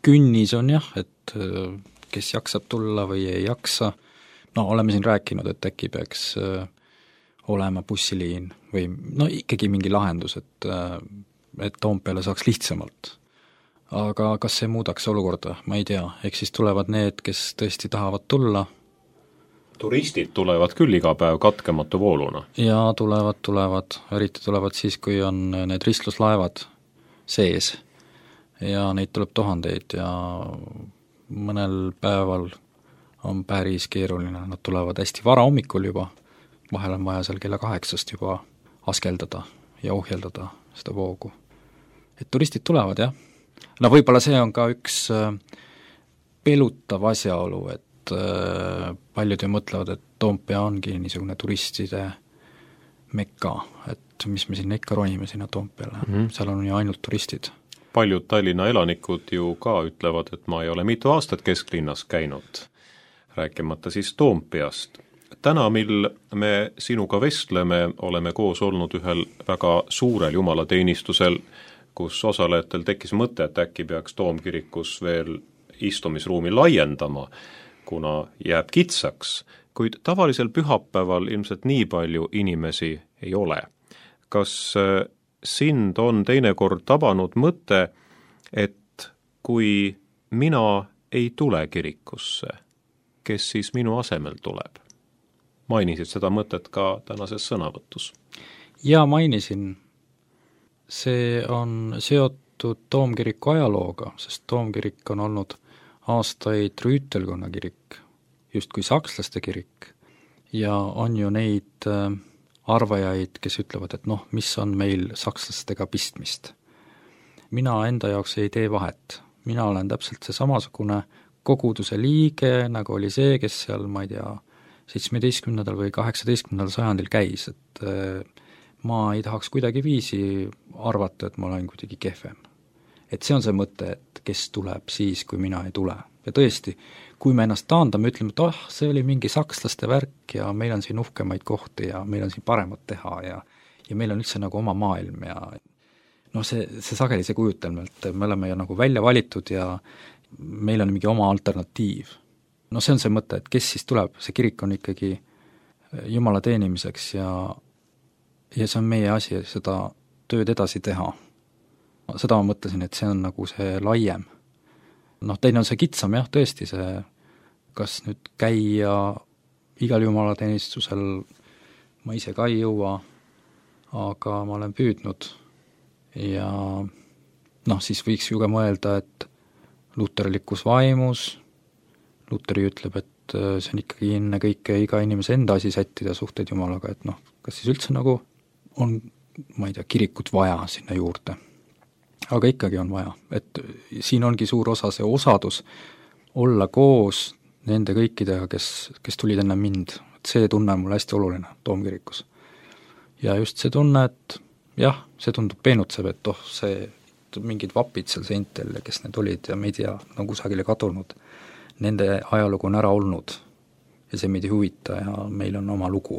künnis on jah, et kes jaksab tulla või ei jaksa. Oleme siin rääkinud, et äkki peaks olema bussiliin või ikkagi mingi lahendus, et Toompeale saaks lihtsamalt. Aga kas see muudaks olukorda? Ma ei tea, eks siis tulevad need, kes tõesti tahavad tulla. Turistid tulevad küll iga päev katkematu vooluna. Ja tulevad, eriti tulevad siis, kui on need ristluslaevad sees ja neid tuleb tuhandeid ja mõnel päeval on päris keeruline, nad tulevad hästi vara hommikul juba, vahel on vaja seal kella 8 juba askeldada ja ohjeldada seda voogu. Et turistid tulevad, jah. Võib-olla see on ka üks pelutav asjaolu, et paljud ju mõtlevad, et Toompea ongi niisugune turistide mekka, et mis me sinna ikka ronime sinna Toompeale, seal on ju ainult turistid. Paljud Tallinna elanikud ju ka ütlevad, et ma ei ole mitu aastat kesklinnas käinud, rääkimata siis Toompeast. Täna, mil me sinuga vestleme, oleme koos olnud ühel väga suurel jumalateenistusel, kus osalejatel tekkis mõte, et äkki peaks Toomkirikus veel istumisruumi laiendama, kuna jääb kitsaks, kuid tavalisel pühapäeval ilmselt nii palju inimesi ei ole. Kas sind on teinekord tabanud mõte, et kui mina ei tule kirikusse, kes siis minu asemel tuleb? Mainisid seda mõtet ka tänases sõnavõtus? Ja mainisin. See on seotud Toomkiriku ajalooga, sest Toomkirik on olnud aastaid rüütelkonna kirik, justkui sakslaste kirik, ja on ju neid arvajaid, kes ütlevad, et mis on meil sakslastega pistmist. Mina enda jaoks ei tee vahet, mina olen täpselt see samasugune koguduse liige, nagu oli see, kes seal, ma ei tea, 17. või 18. sajandil käis, et ma ei tahaks kuidagi viisi arvata, et ma olen kuidagi kehvem. Et see on see mõte, et kes tuleb siis, kui mina ei tule. Ja tõesti, kui me ennast taandame, ütleme, et see oli mingi sakslaste värk ja meil on siin uhkemaid kohti ja meil on siin paremat teha ja meil on üldse nagu oma maailm ja see sageli see kujutelm, et me oleme ju nagu välja valitud ja meil on mingi oma alternatiiv. See on see mõte, et kes siis tuleb, see kirik on ikkagi Jumala teenimiseks ja see on meie asi seda tööd edasi teha. Seda ma mõtlesin, et see on nagu see laiem. Teine on see kitsam, jah, tõesti see, kas nüüd käia igal jumalateenistusel, ma ise ka ei jõua, aga ma olen püüdnud ja siis võiks ju ka mõelda, et luterlikus vaimus, Luteri ütleb, et see on ikkagi enne kõike iga inimese enda asi sättida suhteid Jumalaga, et kas siis üldse nagu on, ma ei tea, kirikut vaja sinna juurde. Aga ikkagi on vaja, et siin ongi suur osa see osadus olla koos nende kõikidega, kes tulid enne mind. Et see tunne on mul hästi oluline Toomkirikus. Ja just see tunne, et jah, see tundub peenutsev, et see mingid vapid seal seintel ja kes need olid ja me ei tea, on kusagile kadunud. Nende ajalugu on ära olnud ja see meid ei huvita ja meil on oma lugu.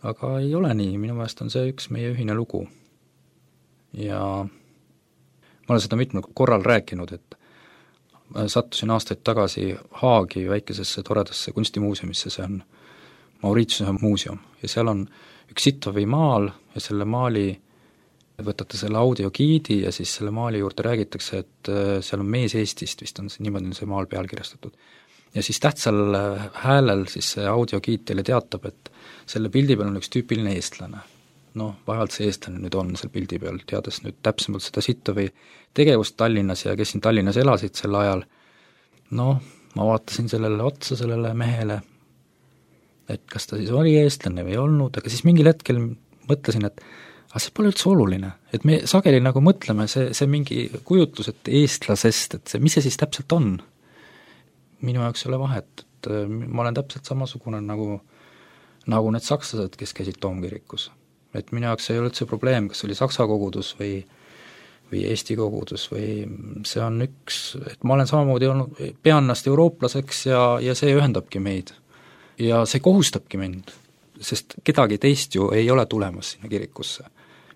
aga ei ole nii, minu meelest on see üks meie ühine lugu. Ja ma olen seda mitmel korral rääkinud, et sattusin aastaid tagasi Haagi väikesesse toredasse kunstimuuseumisse, see on Mauritiuse muuseum, ja seal on üks Sittovi maal ja selle maali, võtate selle audiogiidi ja siis selle maali juurde räägitakse, et seal on mees Eestist, vist on see, niimoodi on see maal pealkirjastatud. Ja siis tähtsal häälel siis see audiogiid teile teatab, et selle pildi peal on üks tüüpiline eestlane. Vaevalt see eestlane nüüd on seal pildi peal, teades nüüd täpsemalt seda Sittovi tegevust Tallinnas ja kes siin Tallinnas elasid sel ajal. Ma vaatasin sellele otsa, sellele mehele, et kas ta siis oli eestlane või ei olnud, aga siis mingil hetkel mõtlesin, et see pole üldse oluline, et me sageli nagu mõtleme, see mingi kujutlus, et eestlasest, et mis see siis täpselt on. Minu jaoks ei ole vahet, et ma olen täpselt samasugune nagu need sakslased, kes käisid Toomkirikus. Et minu jaoks ei ole üldse probleem, kas oli saksa kogudus või Eesti kogudus või see on üks, et ma olen samamoodi olnud, pean ennast eurooplaseks ja see ühendabki meid. Ja see kohustabki mind, sest kedagi teist ju ei ole tulemas sinna kirikusse.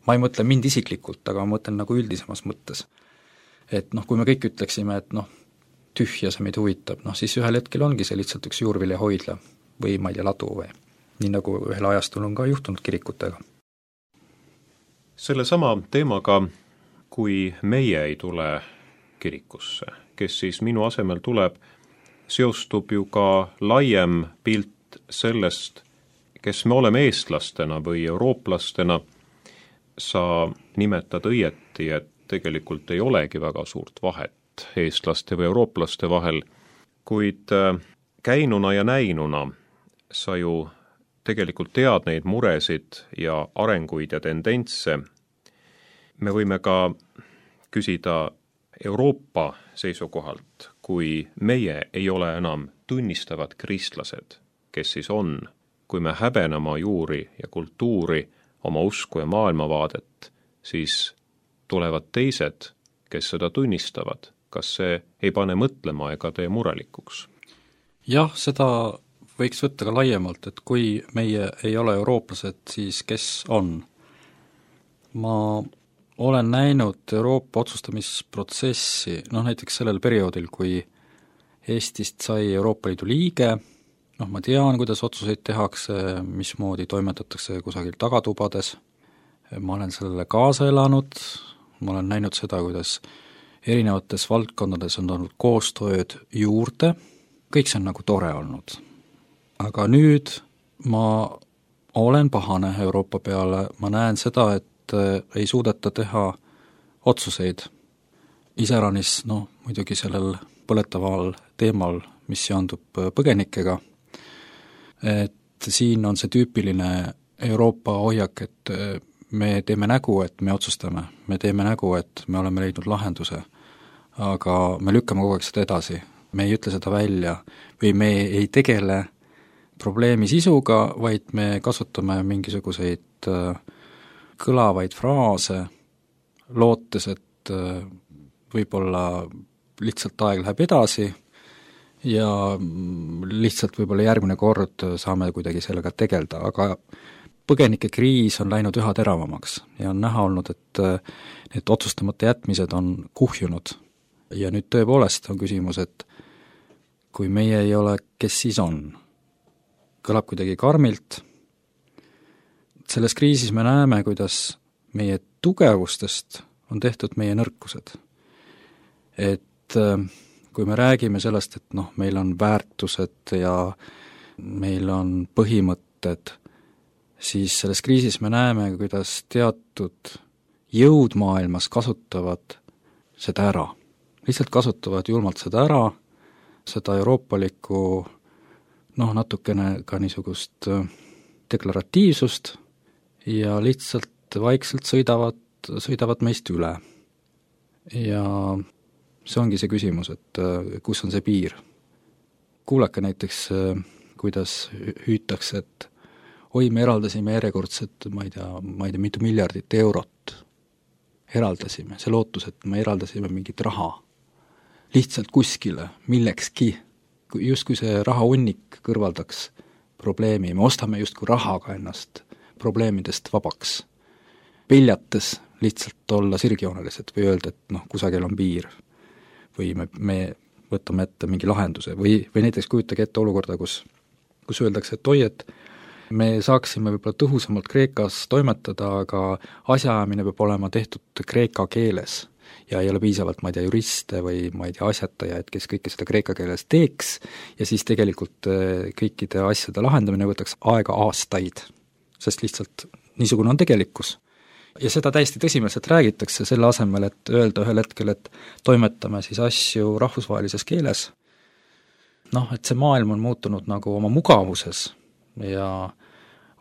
Ma ei mõtle mind isiklikult, aga ma mõtlen nagu üldisemas mõttes. Et kui me kõik ütleksime, et tühja see meid huvitab, siis ühel hetkel ongi see lihtsalt üks juurvilja hoidla või ma ei tea, ladu või nii nagu ühel ajastul on ka juhtunud kirikutega. Selle sama teemaga, kui meie ei tule kirikusse, kes siis minu asemel tuleb, seostub ju ka laiem pilt sellest, kes me oleme eestlastena või eurooplastena. Sa nimetad õieti, et tegelikult ei olegi väga suurt vahet eestlaste või eurooplaste vahel, kuid käinuna ja näinuna sa ju tegelikult tead neid muresid ja arenguid ja tendentse. Me võime ka küsida Euroopa seisukohalt, kui meie ei ole enam tunnistavad kristlased, kes siis on, kui me häbene oma juuri ja kultuuri, oma usku ja maailmavaadet, siis tulevad teised, kes seda tunnistavad. Kas see ei pane mõtlema ega tee murelikuks? Jah, seda võiks võtta ka laiemalt, et kui meie ei ole eurooplased, siis kes on? Ma olen näinud Euroopa otsustamisprotsessi, näiteks sellel perioodil, kui Eestist sai Euroopa Liidu liige, ma tean, kuidas otsuseid tehakse, mismoodi toimetatakse kusagil tagatubades, ma olen sellele kaasa elanud, ma olen näinud seda, kuidas erinevates valdkondades on olnud koostööd juurde, kõik see on nagu tore olnud. Aga nüüd ma olen pahane Euroopa peale, ma näen seda, et ei suudeta teha otsuseid. Iseäranis, muidugi sellel põletaval teemal, mis seondub põgenikega, et siin on see tüüpiline Euroopa hoiak, et me teeme nägu, et me otsustame, me teeme nägu, et me oleme leidnud lahenduse, aga me lükkame kogu aeg seda edasi, me ei ütle seda välja või me ei tegele probleemi sisuga, vaid me kasutame mingisuguseid kõlavaid fraase, lootes, et võib-olla lihtsalt aeg läheb edasi ja lihtsalt võib-olla järgmine kord saame kuidagi sellega tegelda, aga põgenikekriis on läinud üha teravamaks ja on näha olnud, et need otsustamata jätmised on kuhjunud. Ja nüüd tõepoolest on küsimus, et kui meie ei ole, kes siis on? Kõlab kuidagi karmilt. Selles kriisis me näeme, kuidas meie tugevustest on tehtud meie nõrkused. Et kui me räägime sellest, et meil on väärtused ja meil on põhimõtted, siis selles kriisis me näeme, kuidas teatud jõud maailmas kasutavad seda ära. Lihtsalt kasutavad julmalt seda ära, seda euroopalikku, natukene ka niisugust deklaratiivsust ja lihtsalt vaikselt sõidavad meist üle. Ja see ongi see küsimus, et kus on see piir. Kuulake näiteks, kuidas hüütakse, et me eraldasime järjekordset, ma ei tea, mitu miljardit eurot. Eraldasime, see lootus, et me eraldasime mingit raha. Lihtsalt kuskile, millekski. Justkui see raha hunnik kõrvaldaks probleemi, me ostame justkui rahaga ennast probleemidest vabaks, peljates lihtsalt olla sirgjoonelised või öelda, et noh, kusagil on piir või me võtame ette mingi lahenduse või näiteks kujutage ette olukorda, kus öeldakse, et oi, et me saaksime võib-olla tõhusamalt Kreekas toimetada, aga asjaajamine peab olema tehtud kreeka keeles ja ei ole piisavalt, ma ei tea, juriste või ma ei tea, asjatajaid, kes kõike seda kreeka keeles teeks ja siis tegelikult kõikide asjade lahendamine võtaks aega aastaid, sest lihtsalt niisugune on tegelikkus. Ja seda täiesti tõsimeelselt räägitakse selle asemel, et öelda ühel hetkel, et toimetame siis asju rahvusvahelises keeles. Noh, et see maailm on muutunud nagu oma mugavuses ja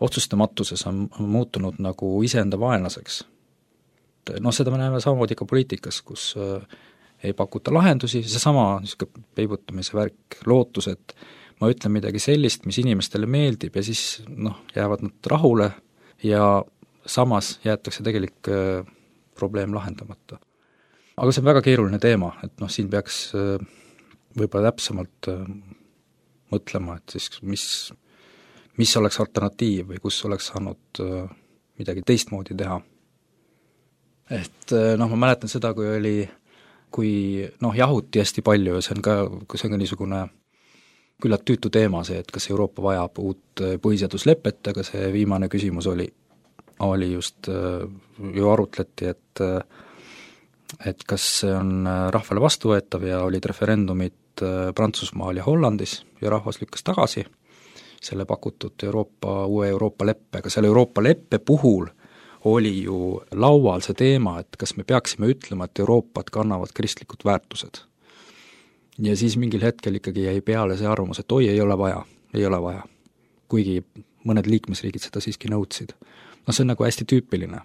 otsustamatuses on muutunud nagu iseenda vaenlaseks. Noh, seda me näeme samamoodi ka poliitikas, kus ei pakuta lahendusi, seesama niisugune peibutamise värk, lootus, et ma ütlen midagi sellist, mis inimestele meeldib ja siis jäävad nad rahule ja samas jäetakse tegelik probleem lahendamata. Aga see on väga keeruline teema, et siin peaks võib-olla täpsemalt mõtlema, et siis mis oleks alternatiiv või kus oleks saanud midagi teistmoodi teha. Et ma mäletan seda, kui jahuti hästi palju ja see on ka niisugune küllalt tüütu teema see, et kas Euroopa vajab uut põhiseaduslepet, aga see viimane küsimus oli just, ju arutleti, et kas see on rahvale vastuvõetav ja olid referendumid Prantsusmaal ja Hollandis ja rahvas lükkas tagasi selle pakutud uue Euroopa leppega. Selle Euroopa leppe puhul oli ju laual see teema, et kas me peaksime ütlema, et Euroopat kannavad kristlikud väärtused. Ja siis mingil hetkel ikkagi jäi peale see arvamus, et oi, ei ole vaja. Kuigi mõned liikmesriigid seda siiski nõudsid. See on nagu hästi tüüpiline.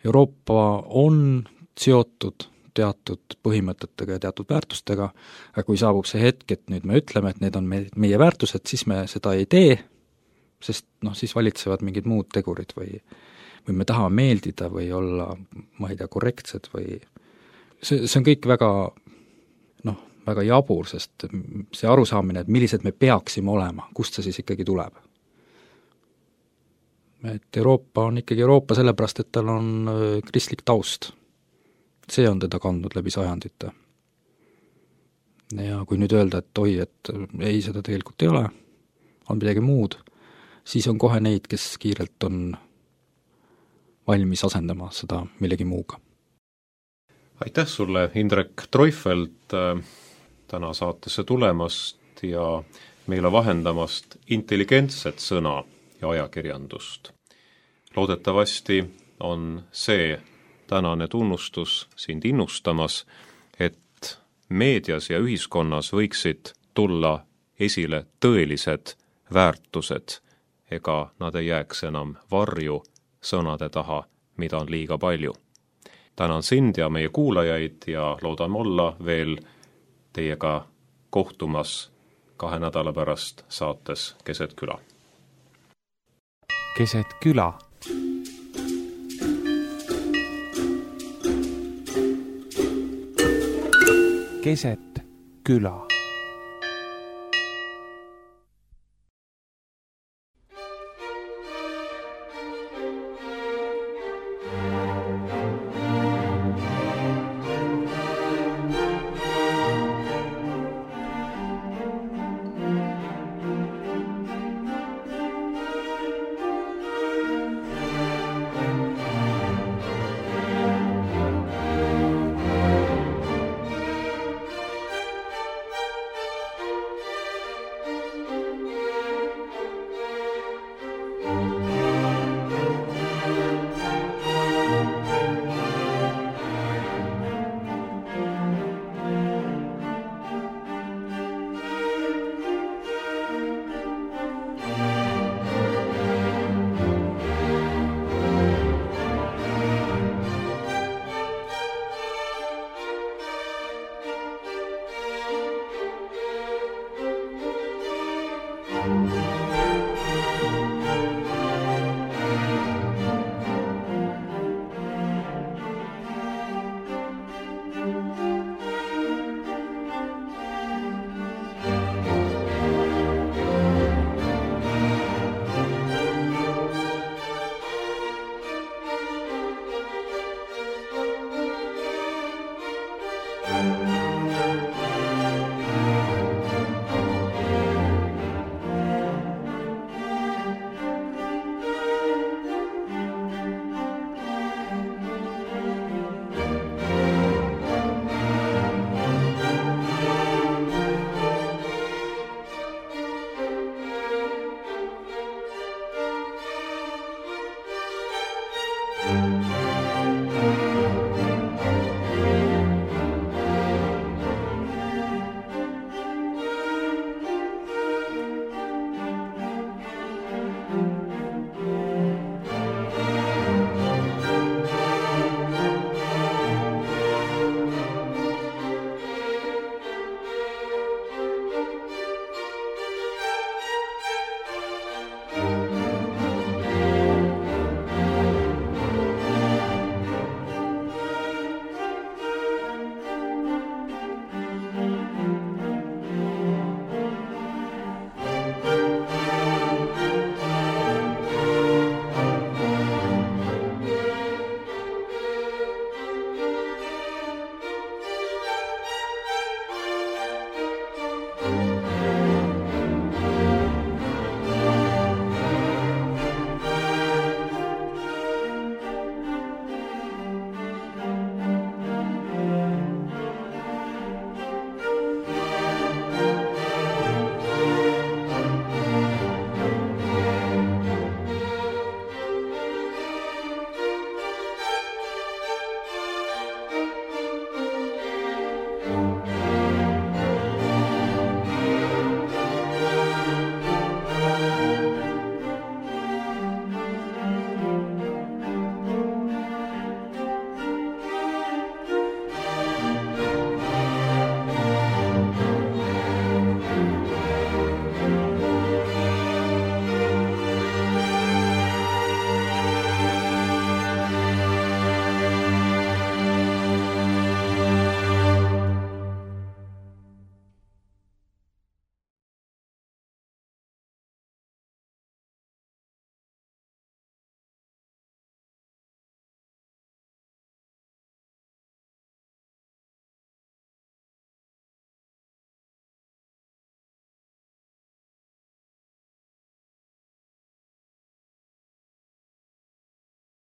Euroopa on seotud teatud põhimõtetega ja teatud väärtustega, aga kui saabub see hetk, et nüüd me ütleme, et need on meie väärtused, siis me seda ei tee, sest siis valitsevad mingid muud tegurid või me tahame meeldida või olla, ma ei tea, korrektsed või see on kõik väga jabur, sest see arusaamine, et millised me peaksime olema, kust see siis ikkagi tuleb. Et Euroopa on ikkagi Euroopa sellepärast, et tal on kristlik taust. See on teda kandnud läbi sajandite. Ja kui nüüd öelda, et oi, et ei, seda tegelikult ei ole, on midagi muud, siis on kohe neid, kes kiirelt on valmis asendama seda millegi muuga. Aitäh sulle, Indrek Treufelt, täna saatesse tulemast ja meile vahendamast intelligentset sõna ja ajakirjandust. Loodetavasti on see tänane tunnustus sind innustamas, et meedias ja ühiskonnas võiksid tulla esile tõelised väärtused, ega nad ei jääks enam varju sõnade taha, mida on liiga palju. Tänan sind ja meie kuulajaid ja loodame olla veel teiega kohtumas 2 nädala pärast saates Keset küla. Keset küla. Keset küla. Thank you.